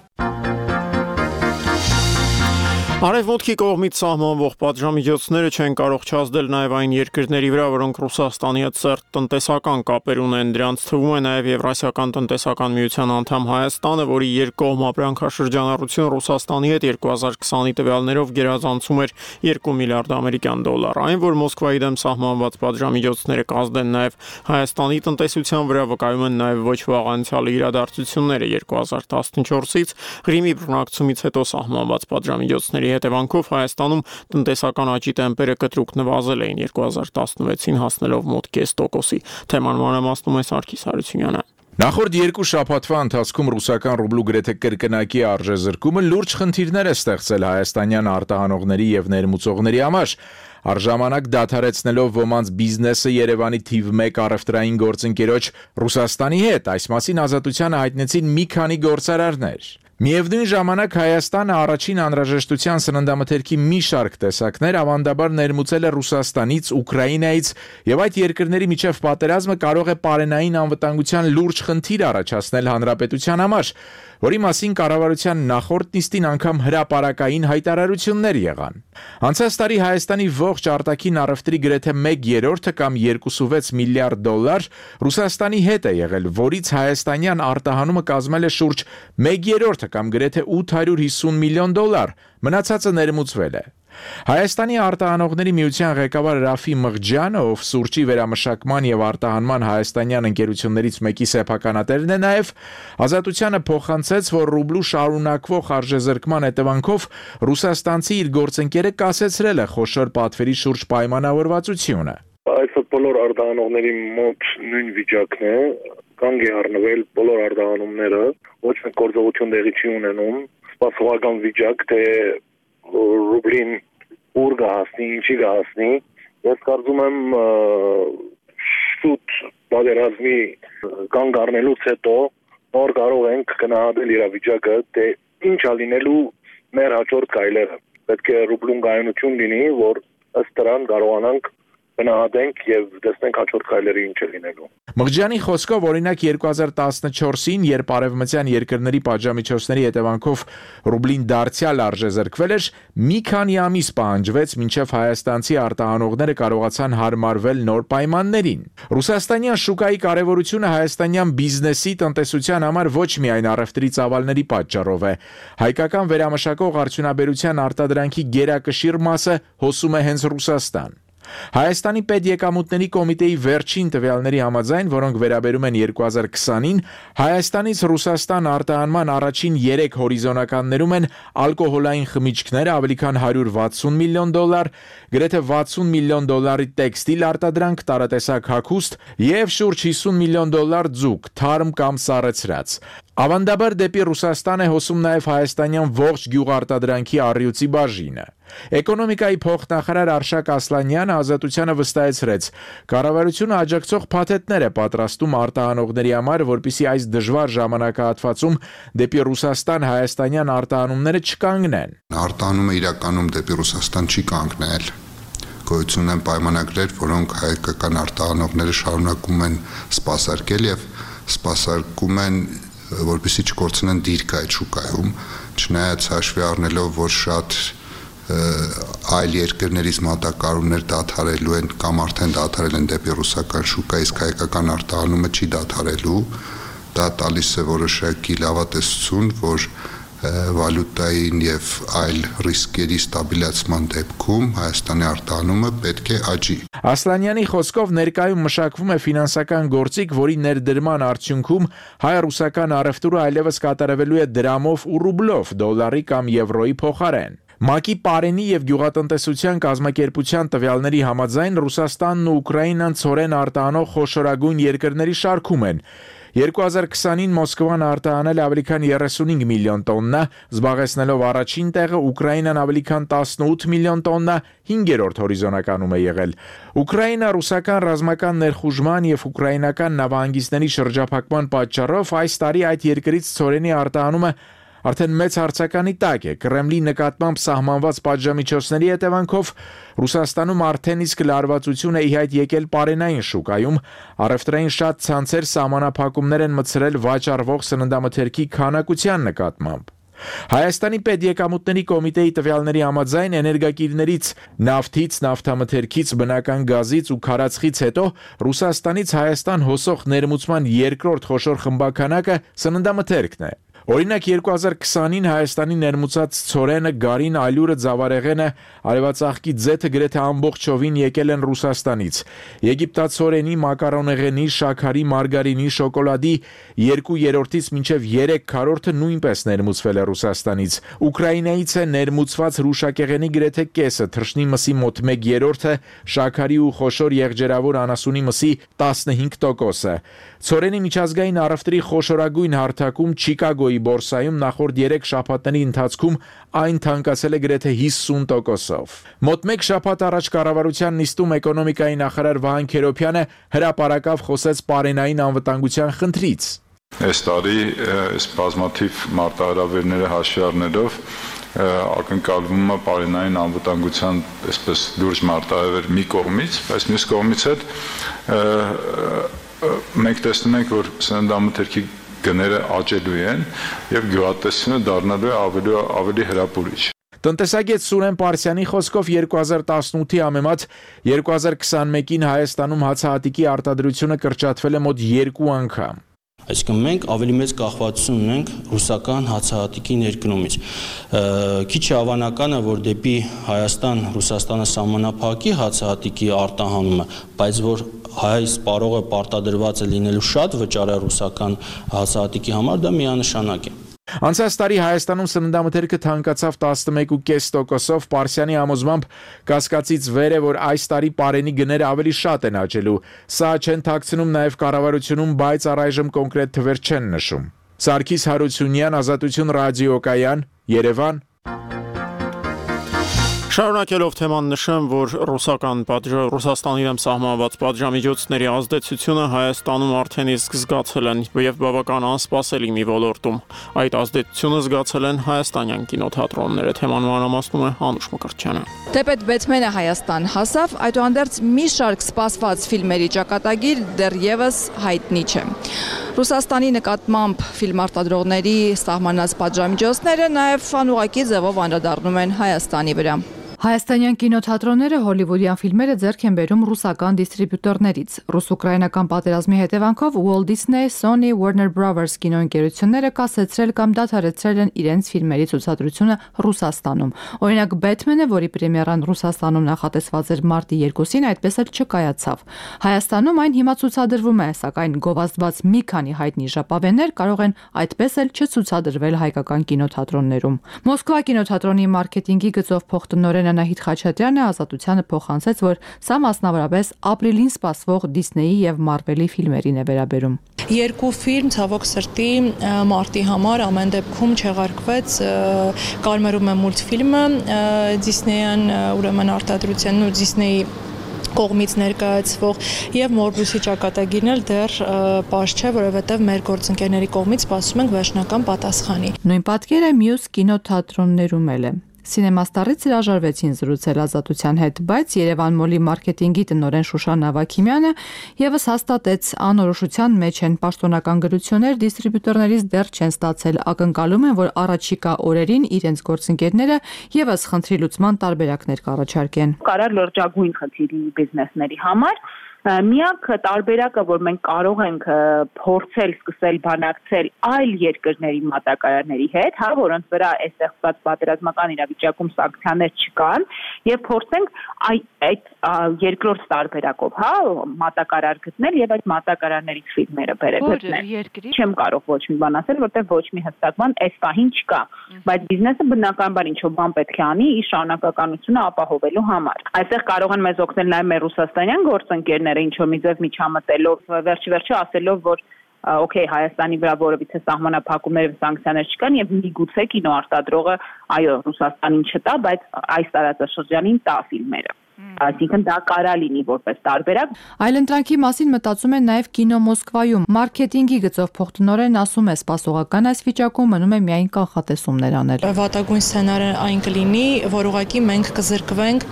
Արևմուտքի կողմից սահմանվող պատժամիջոցները չեն կարող չազդել նաև այն երկրների վրա, որոնք Ռուսաստանի հետ սերտ տնտեսական կապեր ունեն։ Դրանց թվում է նաև Եվրասիական տնտեսական միության անդամ Հայաստանը, որի երկկողմ ապրանքաշրջանառությունը Ռուսաստանի հետ 2020-ի տվյալներով գերազանցում էր $2 միլիարդ ամերիկյան դոլար։ Այն, որ Մոսկվայի դեմ սահմանված պատժամիջոցները կազդեն նաև Հայաստանի տնտեսության վրա, վկայում են նաև ոչ վաղ անցյալի իրադարձությունները 2014-ից Ղրիմի բռնակցումից հետո սահմանված պատժամիջոցների հետևանքով Հայաստանում տնտեսական աճի տեմպերը կտրուկ նվազել էին 2016-ին հասնելով մոտ 0.5%-ի։ Թեման մանրամասնում է Սարգիս Հարությունյանը։ Նախորդ երկու շաբաթվա ընթացքում ռուսական ռուբլու գրեթե կրկնակի արժեզրկումը լուրջ խնդիրներ է ստեղծել հայաստանյան արտահանողների եւ ներմուծողների համար։ Առժամանակ դադարեցնելով ոմանց բիզնեսը Երևանի թիվ 1 առևտրային գործընկերոջ Ռուսաստանի հետ, այս մասին ազատությանը հայտնեցին մի քանի գործարարներ։ Միևնույն ժամանակ Հայաստանը առաջին անհրաժեշտության սննդամթերքի մի շարք տեսակներ ավանդաբար ներմուծել է Ռուսաստանից, Ուկրաինայից եւ այդ երկրների միջև պատերազմը կարող է պարենային անվտանգության լուրջ խնդիր առաջացնել հանրապետության համար, որի մասին կառավարության նախորդ նիստին անգամ հրապարակային հայտարարություններ եղան։ Անցած տարի Հայաստանի ողջ արտաքին առևտրի գրեթե 1/3 կամ $26 միլիարդ Ռուսաստանի հետ է եղել, որից հայաստանյան արտահանումը կազմել է շուրջ 1/3 կամ գրեթե $850 միլիոն, մնացածը ներմուծվել է։ Հայաստանի արտահանողների միության ղեկավար Ռաֆի Մղջյանը, ով սուրճի վերամշակման եւ արտահանման հայաստանյան ընկերություններից մեկի սեփականատերն է նաեւ, ազատությանը փոխանցեց, որ ռուբլու շարունակվող արժեզրկման հետևանքով ռուսաստանցի իր գործընկերը կասեցրել է խոշոր պատվերի շուրջ պայմանավորվածությունը։ Այսօր բոլոր արտահանողների մոտ նույն վիճակն է, կանգ է առնվել բոլոր արտահանումները, ոչ մեկ գործողություն տեղի չի ունենում, սպասողական վիճակ, թե ռուբլին ուր կհասնի, ինչի կհասնի։ Ես կարծում եմ շուտ պատերազմի կանգ առնելուց հետո նոր կարող ենք գնահատել իրավիճակը, թե ինչ է լինելու մեր հաջորդ քայլերը։ Պետք է ռուբլուն կայունություն լինի, որ ըստ դրան կարողանանք գնահատենք եւ տեսնենք հաջորդ քայլերը ինչ է լինելու։ Մղջյանի խոսքով օրինակ 2014-ին, երբ արևմտյան երկրների պատժամիջոցների հետևանքով ռուբլին դարձյալ արժեզրկվել էր, մի քանի ամիս պահանջվեց, մինչև հայաստանցի արտահանողները կարողացան հարմարվել նոր պայմաններին։ Ռուսաստանյան շուկայի կարևորությունը հայաստանյան բիզնեսի տնտեսության համար ոչ միայն առևտրի ծավալների պատճառով է։ Հայկական վերամշակող արդյունաբերության արտադրանքի գերակշիռ մասը հոսում է հենց Ռուսաստան։ Հայաստանի պետեկամուտների կոմիտեի վերջին տվյալների համաձայն, որոնք վերաբերում են 2020-ին, Հայաստանից Ռուսաստան արտահանման առաջին 3 հորիզոնականներում են ալկոհոլային խմիչքները ավելի քան $160 միլիոն, գրեթե $60 միլիոն տեքստիլ արտադրանք, տարատեսակ հագուստ եւ շուրջ $50 միլիոն ձուկ, թարմ կամ սառեցրած։ Ավանդաբար դեպի Ռուսաստան է հոսում նաև հայաստանյան ողջ գյուղարտադրանքի առյուծի բաժինը։ Էկոնոմիկայի փոխնախարար Արշակ Ասլանյանը Ազատությանը վստահեցրեց, կառավարությունը աջակցող փաթեթներ է պատրաստում արտահանողների համար, որպեսզի այս դժվար ժամանակահատվածում դեպի Ռուսաստան հայաստանյան արտահանումները չկանգնեն։ Արտահանումը իրականում դեպի Ռուսաստան չի կանգնել։ Գոյություն են պայմանագրեր, որոնք հայկական արտահանողները շարունակում են սպասարկել եւ սպասարկում են որպեսզի չկորցնեն դիրքը այդ շուկայում, չնայած հաշվի առնելով, որ շատ այլ երկրներից մատակարարումներ դադարելու են կամ արդեն դադարել են դեպի ռուսական շուկա, իսկ հայկական արտահանումը չի դադարելու, դա տալիս է որոշակի լավատեսություն, որ վալյուտային եւ այլ ռիսկերի ստաբիլացման դեպքում Հայաստանի արտահանումը պետք է աճի։ Ասլանյանի խոսքով ներկայում մշակվում է ֆինանսական գործիք, որի ներդրման արդյունքում հայ-ռուսական առևտուրը այլևս կատարվելու է դրամով ու ռուբլով, դոլարի կամ եվրոյի փոխարեն։ ՄԱԿ-ի Պարենի եւ գյուղատնտեսության կազմակերպության տվյալների համաձայն Ռուսաստանն ու Ուկրաինան ցորեն արտահանող խոշորագույն երկրների շարքում են։ 2020-ին Մոսկվան արտահանել ավելի քան 35 միլիոն տոննա, զբաղեցնելով առաջին տեղը, Ուկրաինան ավելի քան 18 միլիոն տոննա, 5-րդ հորիզոնականում է եղել։ Ուկրաինա-ռուսական ռազմական ներխուժման եւ ուկրաինական նավահանգիստների շրջափակման պատճառով այս տարի այդ երկրից ցորենի արտահանումը արդեն մեծ հարցականի տակ է։ Կրեմլի նկատմամբ սահմանված պատժամիջոցների հետևանքով Ռուսաստանում արդեն իսկ լարվածություն է ի հայտ եկել պարենային շուկայում, առևտրային շատ ցանցեր սահմանափակումներ են մտցրել վաճառվող սննդամթերքի քանակության նկատմամբ։ Հայաստանի պետեկամուտների կոմիտեի տվյալների համաձայն էներգակիրներից նավթից, նավթամթերքից, բնական գազից ու քարածխից հետո Ռուսաստանից Հայաստան հոսող ներմուծման երկրորդ խոշոր խմբականակը սննդամթերքն է։ Օրինակ 2020-ին Հայաստանի ներմուծած ցորենը, գարին, ալյուրը, ձավարեղենը, արևածաղկի ձեթը գրեթե ամբողջովին եկել են Ռուսաստանից։ Եգիպտացորենի, մակարոնեղենի, շաքարի, մարգարինի, շոկոլադի 2/3-ից մինչև 3/4-ը նույնպես ներմուծվել է Ռուսաստանից։ Ուկրաինայից է ներմուծված հրուշակեղենի գրեթե կեսը, թռչնի մսի մոտ 1/3-ը, շաքարի ու խոշոր եղջերավոր անասունի մսի 15%-ը։ Ցորենի միջազգային առևտրի խոշորագույն հարթակում Չիկագոյի բորսայում նախորդ 3 շաբաթների ընթացքում այն թանկացել է գրեթե 50%-ով։ Մոտ 1 շաբաթ առաջ կառավարության նիստում էկոնոմիկայի նախարար Վահան Քերոբյանը հրապարակավ խոսեց պարենային անվտանգության խնդրից։ Այս տարի այս բազմաթիվ մարտահրավերները հաշվի առնելով ակնկալվում է պարենային անվտանգության այսպես լուրջ մարտահրավեր մի կողմից, բայց մյուս կողմից հետ մենք տեսնում ենք, որ սննդամթերքի գները աճելու են եւ գյուղատնտեսությունը դառնալու է ավելի հրապուրիչ։ Տնտեսագետ Սուրեն Պարսյանի խոսքով 2018-ի համեմատ 2021-ին Հայաստանում հացահատիկի արտադրությունը կրճատվել է մոտ 2 անգամ։ Այսինքն մենք ավելի մեծ կախվածություն ունենք ռուսական հացահատիկի ներկնումից։ Քիչ է հավանական է, որ դեպի Հայաստան-Ռուսաստանը սահմանափակի հացահատիկի արտահանումը, բայց որ հայ սպառողը պարտադրված է լինելու շատ վճարը ռուսական հացահատիկի համար, դա միանշանակ է։ Անցած տարի Հայաստանում սննդամթերքը թանկացավ 11.5%-ով, Պարսյանի համոզմամբ կասկածից վեր է, որ այս տարի պարենի գները ավելի շատ են աճելու։ Սա չեն թաքցնում նաև կառավարությունում, բայց առայժմ կոնկրետ թվեր չեն նշում։ Սարգիս Հարությունյան, Ազատություն ռադիոկայան, Երևան։ Շարունակելով թեման նշեմ, որ Ռուսաստանի դեմ սահմանված պատժամիջոցների ազդեցությունը Հայաստանում արդեն իսկ զգացել են եւ բավական անսպասելի մի ոլորտում։ Այդ ազդեցությունը զգացել են հայաստանյան կինոթատրոնները։ Թեման մանրամասնում է Անուշ Մկրտչյանը։ Թեպետ Բեթմենը Հայաստան հասավ, այդուհանդերձ մի շարք սպասված ֆիլմերի ճակատագիր դեռևս հայտնի չէ։ Ռուսաստանի նկատմամբ ֆիլմ արտադրողների սահմանած պատժամիջոցները նաև անուղղակի ձևով անդրադառնում են Հայաստանի վրա։ Հայաստանյան կինոթատրոնները հոլիվուդյան ֆիլմերը ձեռք են բերում ռուսական դիստրիբյուտորներից։ Ռուս-ուկրաինական պատերազմի հետևանքով Walt Disney, Sony, Warner Brothers կինոընկերությունները կասեցրել կամ դադարեցրել են իրենց ֆիլմերի ցուցադրությունը Ռուսաստանում։ Օրինակ Batman-ը, որի պրեմիերան Ռուսաստանում նախատեսված էր մարտի 2-ին, այդպես էլ չկայացավ։ Հայաստանում այն հիմա ցուցադրվում է, սակայն գովազդված մի քանի հայտնի ժապավեններ կարող են այդպես էլ չցուցադրվել հայկական կինոթատրոններում։ Մոսկվա կինոթատրոնի մարքեթինգի գծով փոխտնօրեն Անահիտ Խաչատրյանը Ազատությանը փոխանցեց, որ սա մասնավորապես ապրիլին սպասվող Դիսնեյի եւ Մարվելի ֆիլմերին է վերաբերում։ Երկու ֆիլմ ցավոք սրտի մարտի համար ամեն դեպքում չեղարկվեց, կարմերում է մուլտֆիլմը Դիսնեյան ուրեմն արտադրության ու Դիսնեյի կողմից ներկայացվող եւ Մորբուսի ճակատագիրն էլ դեռ պարզ չէ, որովհետեւ մեր գործընկերների կողմից սպասում ենք վերջնական պատասխանի։ Նույն պատկերը մյուս կինոթատրոններում էլ է։ Սինեմաստարից հրաժարվեցին զրուցել Ազատության հետ, բայց Երևան մոլի մարքեթինգի տնօրեն Շուշան Ավագիմյանը եւս հաստատեց անորոշության մեջ են պաշտոնական գրություններ դիստրիբյուտորներից դեռ չեն ստացել, ակնկալում են, որ առաջիկա օրերին իրենց գործընկերները եւս խնդրի լուծման տարբերակներ կառաջարկեն։ Կարար լրջագույն խնդիր լինի բիզնեսների համար։ Միակ տարբերակը, որ մենք կարող ենք փորձել սկսել բանակցել այլ երկրների մատակարարների հետ, որոնց վրա այս ստեղծված պատերազմական իրավիճակում սանկցիաներ չկան, եւ փորձենք այդ երկրորդ տարբերակով, մատակարար գտնել եւ այդ մատակարարներից ֆիլմերը բերել։ Չեմ կարող ոչ մի բան ասել, որտեղ ոչ մի հստակ բան այս պահին չկա, բայց բիզնեսը բնականաբար ինչ-որ բան պետք է անի իր շարունակականությունը ապահովելու համար։ Այստեղ կարող են մեզ օգնել նաեւ մեր ռուսաստանյան գործընկերները, ինչ-որ մի ձև միջամտելով, վերջի ասելով, որ օքեյ, Հայաստանի վրա որևիցե սահմանափակումներ եւ սանկցիաներ չկան եւ միգուցե կինոարտադրողը, այո, Ռուսաստանին չտա, բայց այս տարածաշրջանին տա ֆիլմերը։ Այսինքն դա կարա լինի որպես տարբերակ։ Այլընտրանքի մասին մտածում են նաև Կինո Մոսկվայում։ Մարքեթինգի գծով փոխտնօրեն ասում է, սպասողական այս վիճակում մնում է միայն կանխատեսումներ անել։ Վատագույն սցենարը այն կլինի, որ ուղղակի մենք կզրկվենք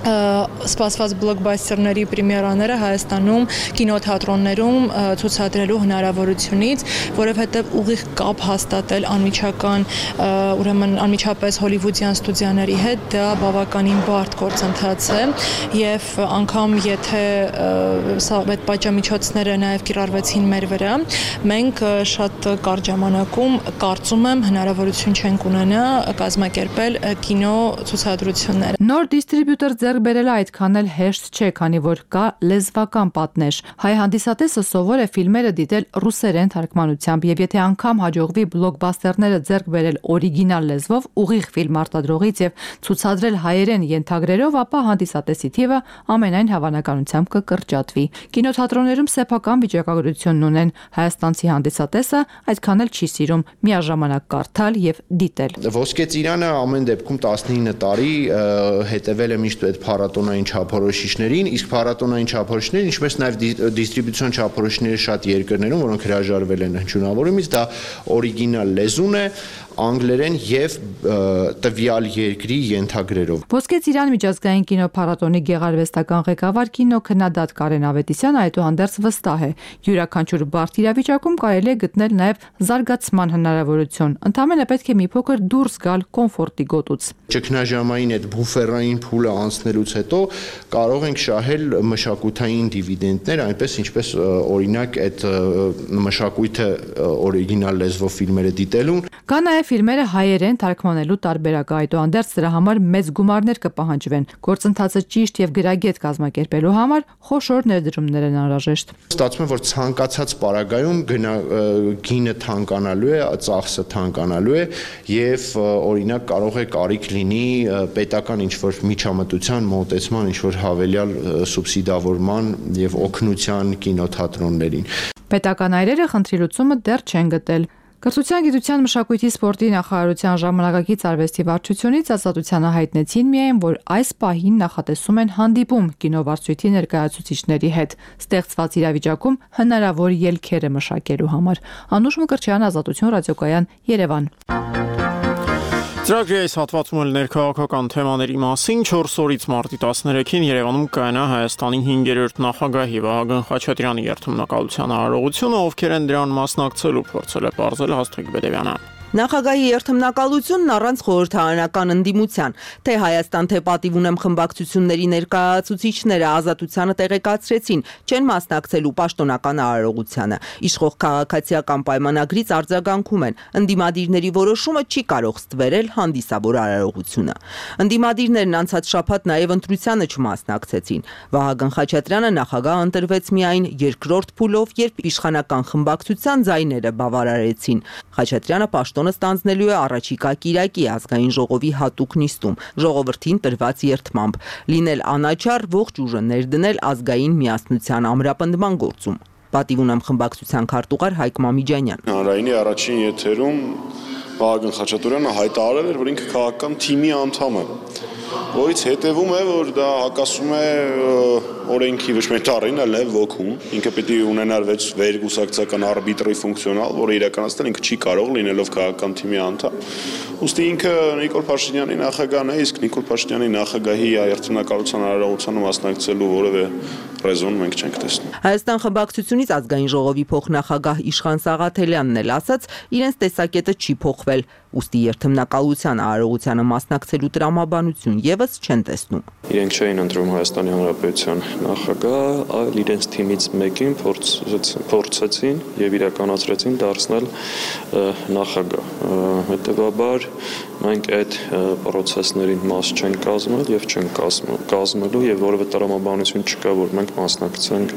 սպասված բլոկբասթերների պրեմիերաները Հայաստանում կինոթատրոններում ցուցադրելու հնարավորությունից, որովհետև ուղիղ կապ հաստատել անմիջական, ուրեմն անմիջապես հոլիվուդյան ստուդիաների հետ դա բավականին բարդ գործընթաց է եւ անգամ եթե սա այդ պատժամիջոցները նաեւ կիրառվեցին մեր վրա, մենք շատ կարճ ժամանակում կարծում եմ հնարավորություն չենք ունենա կազմակերպել կինո ցուցադրություններ։ Նոր դիստրիբյուտոր բերելը այդքան էլ հեշտ չէ, քանի որ կա լեզվական պատնեշ։ Հայ հանդիսատեսը սովոր է ֆիլմերը դիտել ռուսերեն թարգմանությամբ եւ եթե անգամ հաջողվի բլոկբասթերները ձեռք բերել օրիգինալ լեզվով, ուղիղ ֆիլմ արտադրողից եւ ցուցադրել հայերեն ենթագրերով, ապա հանդիսատեսի թիվը ամենայն հավանականությամբ կկրճատվի։ Կինոթատրոններում սեփական վիճակագրությունն ունեն հայաստանցի հանդիսատեսը, այդքան էլ չի սիրում միաժամանակ կարդալ եւ դիտել։ Ոսկե ծիրանը ամեն դեպքում 19 տարի հետևել է միշտ այդ փառատոնային չափորոշիչներին, իսկ փառատոնային չափորոշիչները, ինչպես նաև դիստրիբյուցիոն չափորոշիչները շատ երկրներում, որոնք հրաժարվել են հնչյունավորումից, դա օրիգինալ լեզուն է, անգլերեն եւ տվյալ երկրի ենթագրերով։ Ոսկե ծիրան միջազգային կինոփառատոնի գեղարվեստական ղեկավար կինոքննադատ Կարեն Ավետիսյանը այդուհանդերձ վստահ է, յուրաքանչյուր բարդ իրավիճակում կարելի է գտնել նաև զարգացման հնարավորություն։ Ընդամենը պետք է մի փոքր դուրս գալ կոմֆորտի գոտուց։ Ճգնաժամային այդ բուֆերային փուլը անցնելուց հետո կարող ենք շահել մշակութային դիվիդենդներ, այնպես ինչպես օրինակ այդ մշակույթը օրիգինալ լեզվով ֆիլմերը դիտելուն։ Կա նաև ֆիլմերը հայերեն թարգմանելու տարբերակը, այդուհանդերձ դրա համար մեծ գումարներ կպահանջվեն։ Գործընթացը ճիշտ եւ գրագետ կազմակերպելու համար խոշոր ներդրումներ են անհրաժեշտ։ Ստացվում է, որ ցանկացած պարագայում գինը թանկանալու է, ծախսը թանկանալու է եւ օրինակ կարող է կարիք լինի պետական ինչ-որ միջամտության մոտեցման, ինչ-որ հավելյալ սուբսիդավորման եւ օգնության կինոթատրոններին։ Պետական այրերը խնդրի լուծումը դեռ չեն գտել։ Կրթության, գիտության, մշակույթի, սպորտի նախարարության ժամանակակից արվեստի վարչությունից ազատությանը հայտնեցին միայն, որ այս պահին նախատեսում են հանդիպում կինովարչույթի ներկայացուցիչների հետ, ստեղծված իրավիճակում հնարավոր ելքերը մշակելու համար։ Անուշ Մկրտչյան, Ազատություն ռադիոկայան, Երևան։ Ծրագրի այս հատվածում էլ ներքաղաքական թեմաների մասին 4 օրից մարտի 13-ին Երևանում կայանա Հայաստանի 5-րդ նախագահի Վահագն Խաչատրյանի երթմնակալության արարողությունը, ովքեր են դրան մասնակցելու, փորձել է պարզել Հաստիկ Բեդևյանը։ Նախագահի երթմնակալությունն առանց խորհրդարանական ընդդիմության, թե Հայաստան, թե պատիվ ունեմ խմբակցությունների ներկայացուցիչները ազատությանը տեղեկացրեցին, չեն մասնակցելու պաշտոնական արարողությանը։ Իշխող քաղաքացիական պայմանագրից արձագանքում են, ընդդիմադիրների որոշումը չի կարող ստվերել հանդիսավոր արարողությունը։ Ընդդիմադիրներն անցած շաբաթ նաև ընտրությանը չմասնակցեցին։ Վահագն Խաչատրյանը նախագահ ընտրվեց միայն երկրորդ փուլով, երբ իշխանական խմբակցության ձայները բավարարեցին։ Խաչատրյանը պաշտոնը ստանձնելու է առաջիկա կիրակի ազգային ժողովի հատուկ նիստում, ժողովրդին տրված երդմամբ, լինել անաչառ, ողջ ուժը ներդնել ազգային միասնության ամրապնդման գործում։ Պատիվ ունեմ խմբակցության քարտուղար Հայկ Մամիջանյան։ Հանրայինի առաջին եթերում Վահագն Խաչատրյանը հայտարարել էր, որ ինքը քաղաքական թիմի անդամ է, որից հետևում է, որ դա հակասում է օրենքի ոչ միայն տառին, այլ նաև ոգուն։ Ինքը պետք է ունենար վերգուսակցական արբիտրի ֆունկցիոնալ, որը իրականացնել ինքը չի կարող լինելով քաղաքական թիմի անդամ։ Ուստի ինքը Նիկոլ Փաշինյանի նախագահն է, իսկ Նիկոլ Փաշինյանի նախագահի երթմնակալության արարողությանը մասնակցելու որևէ ռեզոն մենք չենք տեսնում։ Հայաստան խմբակցությունից ազգային ժողովի փոխնախագահ Իշխան Սաղաթելյանն էլ ասաց, իրենց տեսակետը չի փոխվել, ուստի երթմնակալության արարողությանը մասնակցելու տրամաբանություն եւս չեն տեսնում։ Իրենք չէին ընտրում Հայաստանի Հանրապետության նախագահ, այլ իրենց թիմից մեկին փորձեցին եւ իրականացրեցին դարձնել նախագահ։ Հետևաբար մենք այդ process-ներին մաս չենք կազմել եւ չենք կազմելու եւ որևէ տրամաբանություն չկա, որ մենք մասնակցենք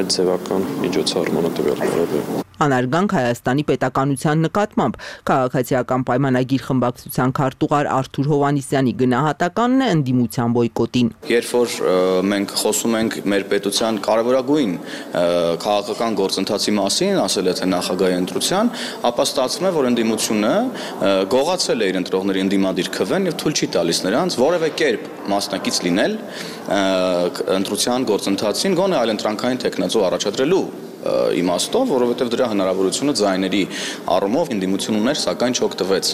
այդ ձևական միջոցառմանը տվյալ բարեբերում։ Անարգանք Հայաստանի պետականության նկատմամբ քաղաքացիական պայմանագիր խմբակցության քարտուղար Արթուր Հովանիսյանի գնահատականն է ընդդիմության բոյկոտին։ Երբ որ մենք խոսում ենք մեր պետության կարևորագույն քաղաքական գործընթացի մասին, ասել է թե նախագահի ընտրության, ապա ստացվում է, որ ընդդիմությունը գողացել է իր ընտրողների ընդդիմադիր քվեն եւ թույլ չի տալիս նրանց որևէ կերպ մասնակից լինել ընտրության գործընթացին, գոնե այլընտրանքային տեխնացու առաջադրելու իմաստով, որովհետև դրա հնարավորությունը ձայների առումով ընդդիմություն ուներ, սակայն չօգտվեց։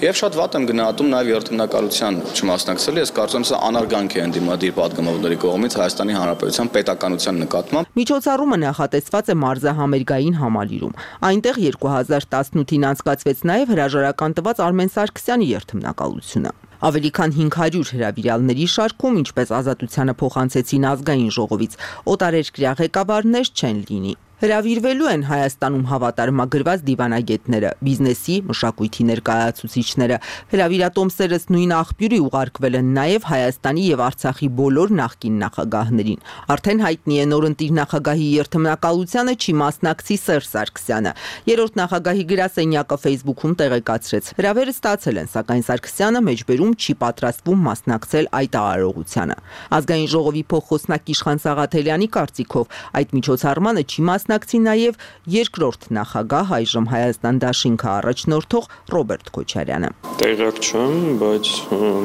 Եվ շատ վատ եմ գնահատում նաև երթմնակալության չմասնակցելու, ես կարծում եմ սա անարգանք է ընդդիմադիր պատգամավորների կողմից Հայաստանի Հանրապետության պետականության նկատմամբ։ Միջոցառումը նախատեսված է մարզահամերգային համալիրում։ Այնտեղ 2018-ին անցկացվեց նաև հրաժարական տված Արմեն Սարգսյանի երթմնակալությունը։ Ավելի քան 500 հրավիրալների շարքում, ինչպես ազատությանը փոխանցեցին ազգային ժողովից, օտարերկրյա ղեկավարներ չեն լինի։ Հրավիրվելու են Հայաստանում հավատարմագրված դիվանագետները, բիզնեսի, մշակույթի ներկայացուցիչները։ Հրավիրատոմսերս նույն աղբյուրի ուղարկվել են նաև Հայաստանի եւ Արցախի բոլոր նախկին նախագահներին։ Արդեն հայտնի է նորընտիր նախագահի երթմնակալությանը չի մասնակցի Սերժ Սարգսյանը։ Երրորդ նախագահի գրասենյակը Facebook-ում տեղեկացրեց. հրավերը ստացել են, սակայն Սարգսյանը մեջբերում չի պատրաստվում մասնակցել այդ արարողությանը։ Ազգային ժողովի փոխխոսնակ Իշխան Սաղաթելյանի կարծիքով այդ միջոցառմանը չի մասնակցի նաև երկրորդ նախագահ այժմ Հայաստան դաշինքը առաջնորդող Ռոբերտ Քոչարյանը։ Տեղյակ չեմ, բայց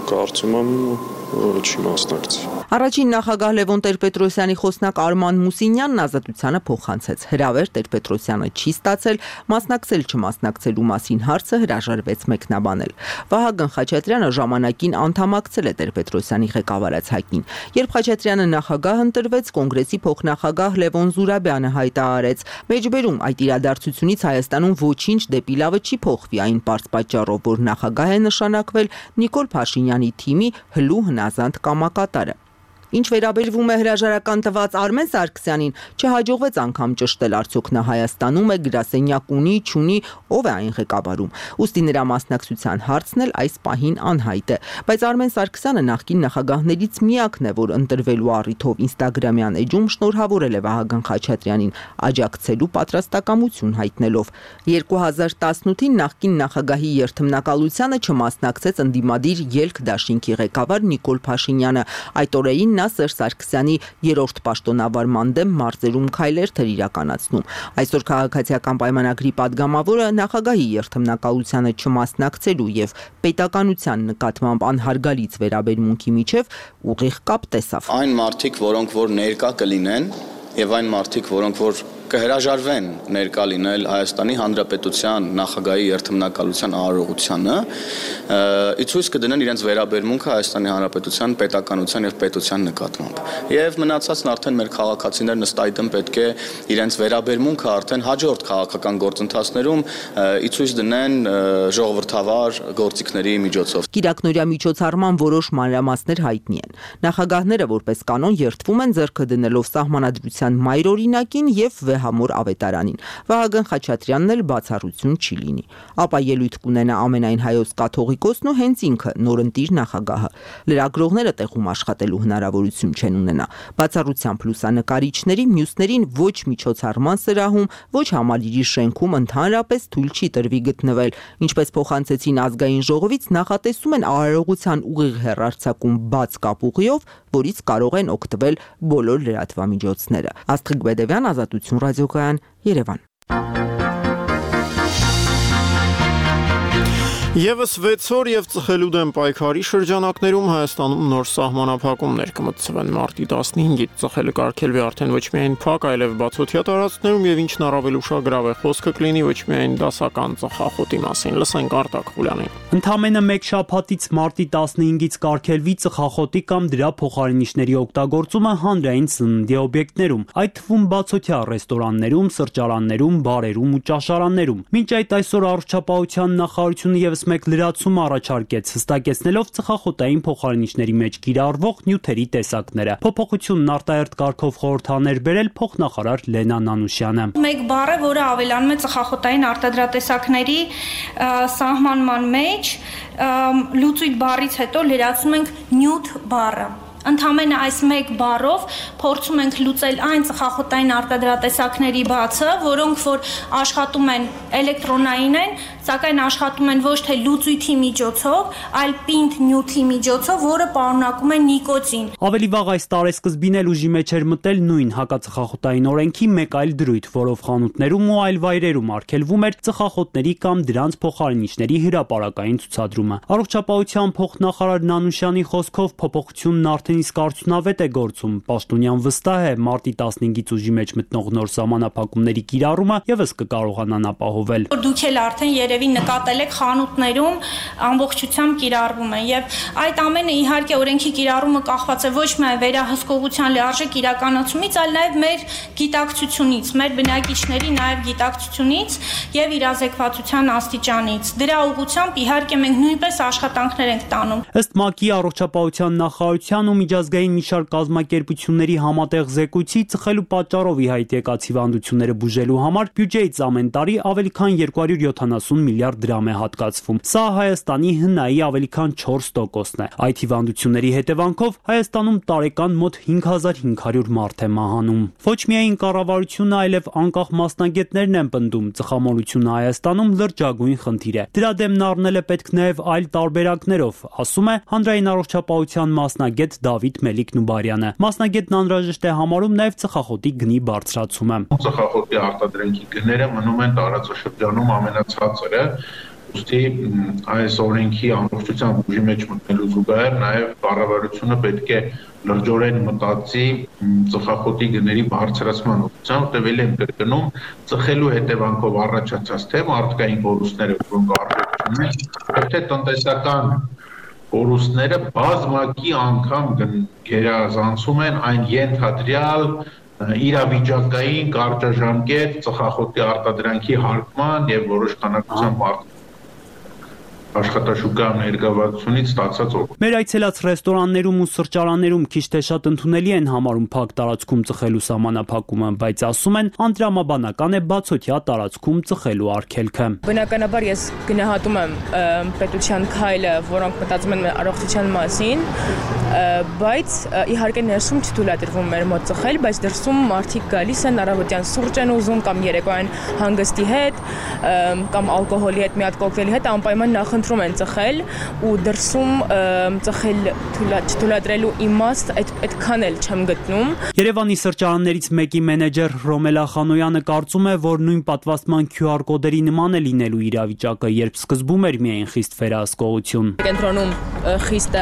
կարծում եմ չի մասնակցի։ Առաջին նախագահ Լևոն Տեր-Պետրոսյանի խոսնակ Արման Մուսինյանն ազատությանը փոխանցեց. հրավեր Տեր-Պետրոսյանը չի ստացել, մասնակցել չմասնակցելու մասին հարցը հրաժարվեց մեկնաբանել։ Վահագն Խաչատրյանը ժամանակին անդամակցել է Տեր-Պետրոսյանի ղեկավարած ՀԱԿ-ին։ Երբ Խաչատրյանը նախագահ ընտրվեց, կոնգրեսի փոխնախագահ Լևոն Զուրաբյանը հայտարարեց. մեջբերում այդ իրադարձությունից Հայաստանում ոչինչ դեպի լավը չի փոխվի, այն պարզ պատճառով, որ նախագահ է նշանակվել Նիկոլ Փաշինյանի թիմի հլու հնազանդ կամակատարը։ Ինչ վերաբերվում է հրաժարական տված Արմեն Սարգսյանին, չհաջողվեց անգամ ճշտել արդյոք նա Հայաստանում է, գրասենյակ ունի, չունի, ով է այն ղեկավարում։ Ուստի նրա մասնակցության հարցն էլ այս պահին անհայտ է, բայց Արմեն Սարգսյանը նախկին նախագահներից միակն է, որ ընտրվելու առիթով Instagram-յան էջում շնորհավորել է Վահագն Խաչատրյանին, աջակցելու պատրաստակամություն հայտնելով։ 2018-ին նախկին նախագահի երթմնակալությանը չմասնակցեց ընդդիմադիր Ելք դաշինքի ղեկավար Նիկոլ Փաշինյանը։ Այդ օրերին նա նախագահնյա Սերժ Սարգսյանի երրորդ պաշտոնավարման դեմ մարզերում քայլեր էր իրականացնում։ Այսօր քաղաքացիական պայմանագրի падգամավորը նախագահի երթմնակալությանը չմասնակցելու եւ պետականության նկատմամբ անհարգալից վերաբերմունքի միջև ուղիղ կապ տեսավ։ Այն մարդիկ, որոնք որ ներկա կլինեն եւ այն մարդիկ, որոնք որ կհրաժարվեն ներկա լինել Հայաստանի Հանրապետության նախագահի երթմնակալության արարողությանը, ցույց կդնեն իրենց վերաբերմունքը Հայաստանի Հանրապետության պետականության եւ պետության նկատմամբ։ Եվ մնացածն արդեն մեր քաղաքացիներն ըստ այդմ պետք է իրենց վերաբերմունքը արդեն հաջորդ քաղաքական գործընթացներում ցույց դնեն ժողովրդավար գործիքների միջոցով։ Կիրակնորյա միջոցառման որոշ մանրամասներ հայտնի են։ Նախագահները որպես կանոն երթվում են ձեռքը դնելով սահմանադրության մայրօրինակին եւ Վեհամոր ավետարանին։ Վահագն Խաչատրյանն էլ բացառություն չի լինի։ Ապա ելույթ կունենա ամենայն հայոց կաթողիկոսն ու հենց ինքը նորընտիր նախագահը։ Լրագրողները տեղում աշխատելու հնարավորություն չեն ունենա։ Բացառությամբ լուսանկարիչների, մյուսներին ոչ միջոցառման սրահում, ոչ համալիրի շենքում ընդհանրապես թույլ չի տրվի գտնվել։ Ինչպես փոխանցեցին ազգային ժողովից, նախատեսում են արարողության ուղիղ հեռարձակում բաց կապուղիով, որից կարող են օգտվել բոլոր լրատվամիջոցները։ Աստղիկ Բեդևյան, Ազատություն ռադիոկայան, Երևան։ Եվս 6 օր եւ ծխելու դեմ պայքարի շրջանակներում Հայաստանում նոր սահմանափակումներ կմտցվեն մարտի 15-ից ծխելը կարգելվի արդեն ոչ միայն փակ, այլև բացօթյա տարածքներում եւ ինչն առավել ուշագրավ է, խոսքը կլինի ոչ միայն դասական ծխախոտի մասին։ Լսենք Արտակ Խուլյանին։ Ընդամենը մեկ շաբաթից մարտի 15-ից կարգելվի ծխախոտի կամ դրա փոխարինիչների օգտագործումը հանրային սննդի օբյեկտներում, այդ թվում բացօթյա ռեստորաններում, սրճարաններում, բարերում ու ճաշարաններում։ Մինչ այդ այսօր առողջապահության նախարարությունը եւս մեկ լրացում առաջարկեց, հստակեցնելով ծխախոտային փոխարինիչների մեջ կիրառվող նյութերի տեսակները։ Փոփոխությունն արտահերթ կարգով խորհրդաներ բերել փոխնախարար Լենա Նանուշյանը։ Մեկ բառ է, որը ավելանում է ծխախոտային արտադրատեսակների սահմանման մեջ, լուծույթ բառից հետո լրացնում ենք նյութ բառը։ Ընդամենը այս մեկ բառով փորձում ենք լուծել այն ծխախոտային արտադրատեսակների բացը, որոնք որ աշխատում են էլեկտրոնային են, սակայն աշխատում են ոչ թե լուծույթի միջոցով, այլ պինդ նյութի միջոցով, որը պարունակում է նիկոտին։ Ավելի վաղ այս տարեսկզբին էլ ուժի մեջ էր մտել նույն հակածխախոտային օրենքի մեկ այլ դրույթ, որով խանութներում ու այլ վայրերում արգելվում էր ծխախոտների կամ դրանց փոխարինիչների հրապարակային ցուցադրումը։ Առողջապահության փոխնախարար Նանուշյանի խոսքով փոփոխությունն արդեն իսկ արդյունավետ է գործում։ Պաշտոնյան վստահ է, մարտի 15-ից ուժի մեջ մտնող նոր սահմանափակումների կիրառումը եւս կկարողանան ապահովել։ Դուք էլ արդեն երևի նկատել եք խանութներում ամբողջությամբ կիրառվում է եւ այդ ամենը իհարկե օրենքի կիրառումը կախված է ոչ միայն վերահսկողության լիարժեք իրականացումից, այլ նաեւ մեր գիտակցությունից, մեր բնակիչների նաեւ գիտակցությունից եւ իրազեկվածության աստիճանից։ Դրա ուղղությամբ իհարկե մենք նույնպես աշխատանքներ ենք տանում։ Ըստ ՄԱԿ-ի առողջապահության նախարարության ու միջազգային մի շարք կազմակերպությունների համատեղ զեկույցի ծխելու պատճառով ի հայտ եկած հիվանդությունները բուժելու համար բյուջեից ամեն տարի ավելի քան 270 միլիարդ դրամ է հատկացվում։ Սա Հայաստանի ՀՆԱ-ի ավելի քան 4%-ն է։ Այդ հիվանդությունների հետևանքով Հայաստանում տարեկան մոտ 5500 մարդ է մահանում։ Ոչ միայն կառավարությունը, այլև անկախ մասնագետներն են պնդում, ծխամոլությունը Հայաստանում լրջագույն խնդիր է։ Դրա դեմն առնել է պետք նաև այլ տարբերակներով, ասում է հանրային առողջապահության մասնագետ Դավիթ Մելիք-Նուբարյանը։ Մասնագետն անհրաժեշտ է համարում նաև ծխախոտի գնի բարձրացումը։ Ծխախոտի արտադրենքի գները մնում են տարածաշրջանում ամենացածերը, ուստի այս օրենքի ամբողջությամբ ուժի մեջ մտնելու զուգահեռ նաև կառավարությունը պետք է լրջորեն մտածի ծխախոտի գների բարձրացման ուղղությամբ, տևել են կրկնում ծխելու հետևանքով առաջացած թե մարդկային կորուստները, որոնք առողջությունն են, թե տնտեսական կորուստները բազմակի անգամ գերազանցում են այն ենթադրյալ իրավիճակային կարճաժամկետ ծխախոտի արտադրանքի հարկման եւ որոշ քանակությամբ աշխատաշուկա ներգրավվածությունից ստացած օգուտ։ Մեր այցելած ռեստորաններում ու սրճարաններում քիչ թե շատ ընդունելի են համարում փակ տարածքում ծխելու սահմանափակումը, բայց ասում են անտրամաբանական է բացօթյա տարածքում ծխելու արգելքը։ Բնականաբար ես գնահատում եմ պետության քայլը, որոնք մտածում են առողջության մասին, բայց իհարկե ներսում չթույլատրվում մեր մոտ ծխել, բայց դրսում մարդիկ գալիս են առավոտյան սուրճ են ուզում կամ երեկոյան հանգստի հետ կամ ալկոհոլի հետ մի հատ կոկտեյլի հետ անպայման նախընտրում խնդրում են ծխել ու դրսում ծխել չթույլատրելու իմաստ այդքան էլ չեմ գտնում։ Երևանի սրճարաններից մեկի մենեջեր Ռոմելա Խանոյանը կարծում է, որ նույն պատվաստման QR կոդերի նման է լինելու իրավիճակը, երբ սկզբում էր միայն խիստ վերահսկողություն։ Կենտրոնում խիստ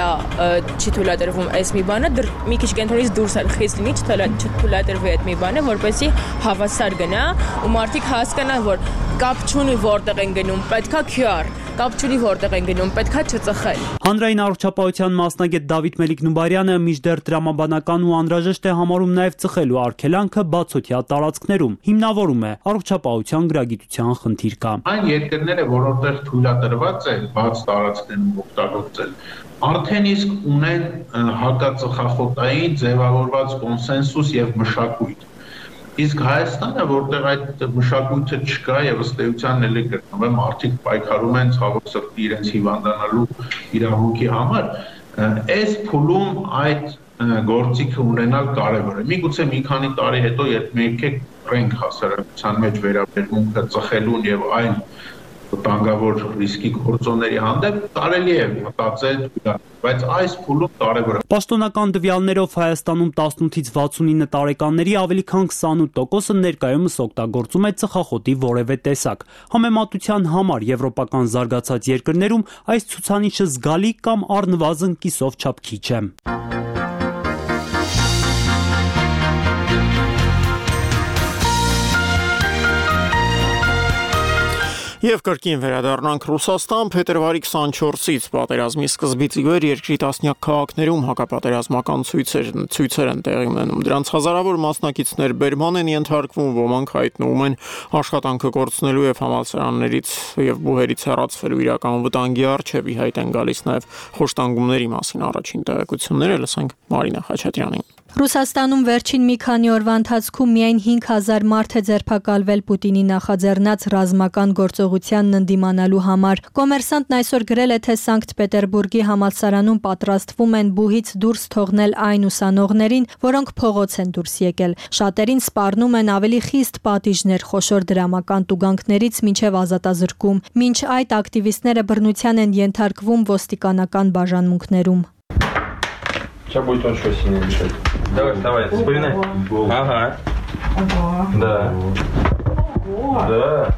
չի թույլատրվում այս մի բանը, մի քիչ կենտրոնից դուրս էլ խիստ լինի, չթույլատրվի այդ մի բանը, որպեսզի հավասար գնա ու մարդիկ հասկանան, որ կապ չունի որտեղ են գնում, պետքա QR, կապ չունի որտեղ են գնում, պետքա չծխել։ Հանրային առողջապահության մասնագետ Դավիթ Մելիք-Նուբարյանը մինչդեռ տրամաբանական ու անհրաժեշտ է համարում նաև ծխելու արգելանքը բացօթյա տարածքներում, հիմնավորում է առողջապահության գրագիտության խնդիր կա։ Այն երկրները, որոնտեղ թույլատրված է բաց տարածքներում օգտագործել, արդեն իսկ ունեն հակածխախոտային ձևավորված կոնսենսուս եւ մշակույթ։ Իսկ Հայաստանը, որտեղ այդ մշակույթը չկա եւ ըստ էության էլ գտնվում, մարդիկ պայքարում են ցավոք սրտի իրենց հիվանդանալու իրավունքի համար, այս փուլում այդ գործիքը ունենալ կարևոր է։ Միգուցե մի քանի տարի հետո, երբ մենք ենք հասարակության մեջ վերաբերմունքը ծխելուն եւ այլ վտանգավոր ռիսկի գործոնների հանդեպ կարելի է մտածել, բայց այս փուլում կարևոր է։ Պաշտոնական տվյալներով Հայաստանում 18-ից 69 տարեկանների ավելի քան 28%-ը ներկայումս օգտագործում է ծխախոտի որևէ տեսակ։ Համեմատության համար եվրոպական զարգացած երկրներում այս ցուցանիշը զգալի կամ առնվազն կիսով չափ քիչ է։ Եվ կրկին վերադառնանք Ռուսաստան, փետրվարի 24-ից պատերազմի սկզբից ի վեր երկրի տասնյակ քաղաքներում հակապատերազմական ցույցեր են տեղի ունենում։ Դրանց հազարավոր մասնակիցներ բերման են ենթարկվում, ոմանք հայտնվում են աշխատանքը կորցնելու եւ համալսարաններից եւ բուհերից հեռացվելու իրական վտանգի առջեւ, ի հայտ են գալիս նաեւ խոշտանգումների մասին առաջին տեղեկությունները, լսենք Մարինա Խաչատրյանին։ Ռուսաստանում վերջին մի քանի օրվա ընթացքում միայն 5000 մարդ է ձերբակալվել Պուտինի նախաձեռնած ռազմական գործողությանն ընդդիմանալու համար։ Կոմերսանտն այսօր գրել է, թե Սանկտ Պետերբուրգի համալսարանում պատրաստվում են բուհից դուրս թողնել այն ուսանողներին, որոնք փողոց են դուրս եկել։ Շատերին սպառնում են ավելի խիստ պատիժներ, խոշոր դրամական տուգանքներից մինչև ազատազրկում։ Մինչ այդ ակտիվիստները բռնության են ենթարկվում ոստիկանական բաժանմունքներում։ Сейчас будет он что сильнее решать. Давай, вспоминай. Ага. Да. Да.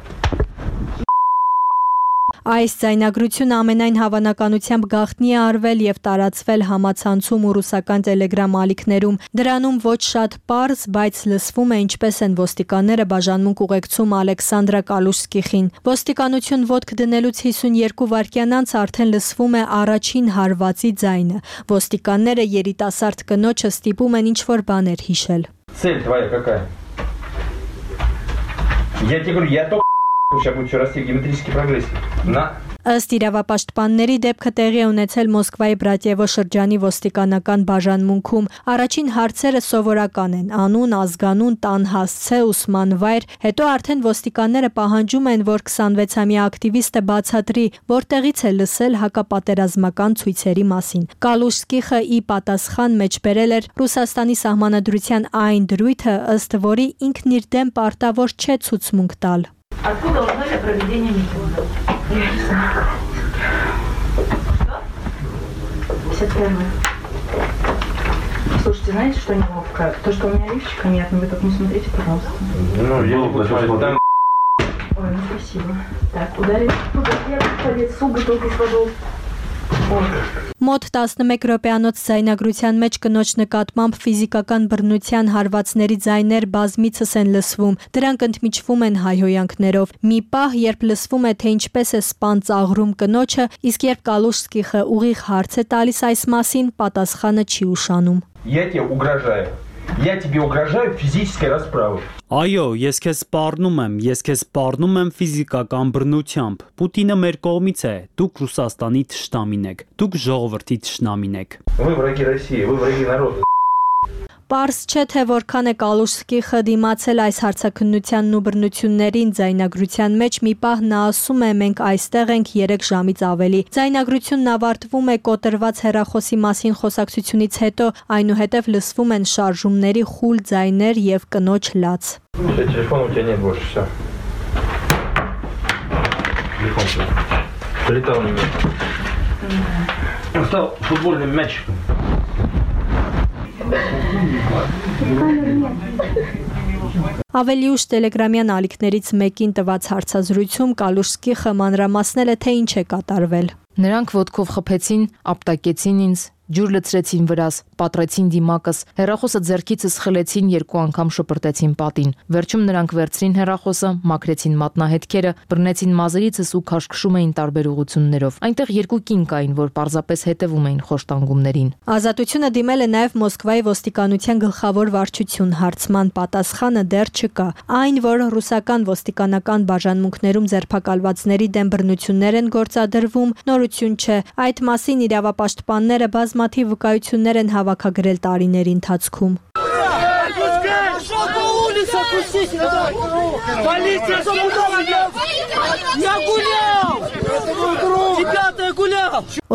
Այս ձայնագրությունը ամենայն հավանականությամբ գաղտնի է արվել եւ տարածվել համացանցում ու ռուսական տելեգրամ ալիքներում։ Դրանում ոչ շատ պարզ, բայց լսվում է ինչպես են ոստիկանները բաժանմունք ուղեկցում Ալեքսանդրա Կալուշսկիխին։ Ոստիկանություն ոտք դնելուց 52 վայրկյան անց արդեն լսվում է առաջին հարվածի ձայնը։ Ոստիկանները երիտասարդ կնոջը ստիպում են ինչ-որ բաներ հիշել։ Цель твоя какая? Я тебе говорю, я только сейчас будет все расти в геометрический прогресс. На. Ըստ իրավապաշտպանների դեպքը տեղի է ունեցել Մոսկվայի Բրատյևո շրջանի ոստիկանական բաժանմունքում։ Առաջին հարցերը սովորական են՝ անուն, ազգանուն, տան հասցե, ուսման վայր։ Հետո արդեն ոստիկանները պահանջում են, որ 26-ամյա ակտիվիստը բացատրի, որտեղից է լսել հակապատերազմական ցույցերի մասին։ Կալուշսկիխը ի պատասխան մեջբերել էր Ռուսաստանի սահմանադրության այն դրույթը, ըստ որի ինքն իր դեմ պարտավոր չէ ցուցմունք տալ։ Откуда узнали о проведении митинга? Я не знаю. 51. Слушайте, знаете, что неловко? То, что у меня лифчика нет, но вы так не смотрите, пожалуйста. Ну, я не плачу, там... Ой, ну спасибо. Так, ударили. Я по лицу бутылкой с водой. Մոտ 11 րոպեանոց ձայնագրության մեջ կնոջ նկատմամբ ֆիզիկական բռնության հարվածների ձայներ բազմիցս են լսվում։ Դրանք ընդմիջվում են հայհոյանքներով։ Մի պահ, երբ լսվում է, թե ինչպես է սպան ծաղրում կնոջը, իսկ երբ Կալուշսկիխը ուղիղ հարց է տալիս այս մասին, պատասխանը չի ուշանում։ Я тебе угрожаю. Я тебе угрожаю физической расправой. Այո, ես քեզ սպառնում եմ ֆիզիկական բռնությամբ։ Պուտինը մեր կողմից է, դուք Ռուսաստանի թշնամին եք, դուք ժողովրդի թշնամին եք։ Вы враги России, вы враги народа. Պարզ չէ, թե որքան է Կալուշսկիխը դիմացել այս հարցաքննությանն ու բռնություններին։ Ձայնագրության մեջ մի պահ նա ասում է՝ մենք այստեղ ենք 3 ժամից ավելի։ Ձայնագրությունն ավարտվում է կոտրված հեռախոսի մասին խոսակցությունից հետո, այնուհետև լսվում են շարժումների խուլ ձայներ եւ կնոջ լաց։ Телефон у тебя нет больше, все. Телефон. Летал. Стал футбольный мяч. Ավելի ուշ Տելեգրամյան ալիքներից մեկին տված հարցազրույցում Կալուշսկիխը մանրամասնել է, թե ինչ է կատարվել։ Նրանք ոտքով խփեցին, ապտակեցին ինձ, ջուր լցրեցին վրաս, պատրեցին դիմակս, հեռախոսը ձեռքիցս խլեցին, 2 անգամ շպրտեցին պատին։ Վերջում նրանք վերցրին հեռախոսը, մաքրեցին մատնահետքերը, բռնեցին մազերիցս ու քաշքշում էին տարբեր ուղություններով։ Այնտեղ 2 կին կային, որ պարզապես հետևում էին խոշտանգումներին։ Ազատությունը դիմել է նաև Մոսկվայի ոստիկանության գլխավոր վարչություն, հարցման պատասխանը դեռ չկա։ Այն, որ ռուսական ոստիկանական բաժանմունքներում ձերբակալվածների դեմ բռնություններ են գործադրվում, նորություն չէ։ Այդ մասին իրավապաշտպանները բազմաթիվ վկայություններ են հավաքագրել տարիների ընթացքում։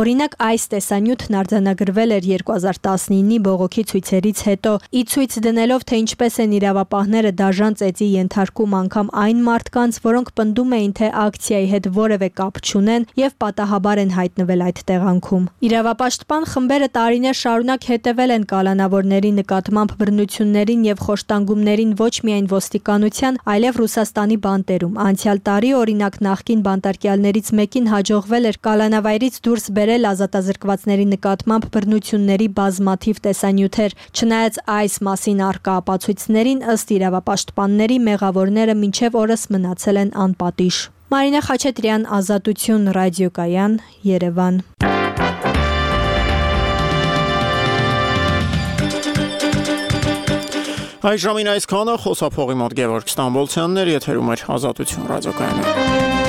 Օրինակ այս տեսանյութն արձանագրվել էր 2019-ի բողոքի ցույցերից հետո, ի ցույց դնելով, թե ինչպես են իրավապահները դաժան ծեծի ենթարկում անգամ այն մարդկանց, որոնք պնդում էին, թե ակցիայի հետ որևէ կապ չունեն եւ պատահաբար են հայտնվել այդ տեղանքում։ Իրավապաշտպան խմբերը տարիներ շարունակ հետևել են կալանավորների նկատմամբ բռնություններին եւ խոշտանգումներին ոչ միայն ոստիկանության, այլև Ռուսաստանի բանտերում։ Անցյալ տարի, օրինակ, նախկին բանտարկյալներից մեկին հաջողվել էր կալանավայրից դուրս բերել ազատազրկվածների նկատմամբ բռնությունների բազմաթիվ տեսանյութեր։ Չնայած այս մասին առկա ապացույցներին, ըստ իրավապաշտպանների, մեղավորները մինչև օրս մնացել են անպատիժ։ Մարինա Խաչատրյան, Ազատություն, ռադիոկայան, Երևան։ Այժմին այսքանը, խոսափողի մոտ Գևորգ Ստամբոլցյանն էր, եթերում էր Ազատություն ռադիոկայանը։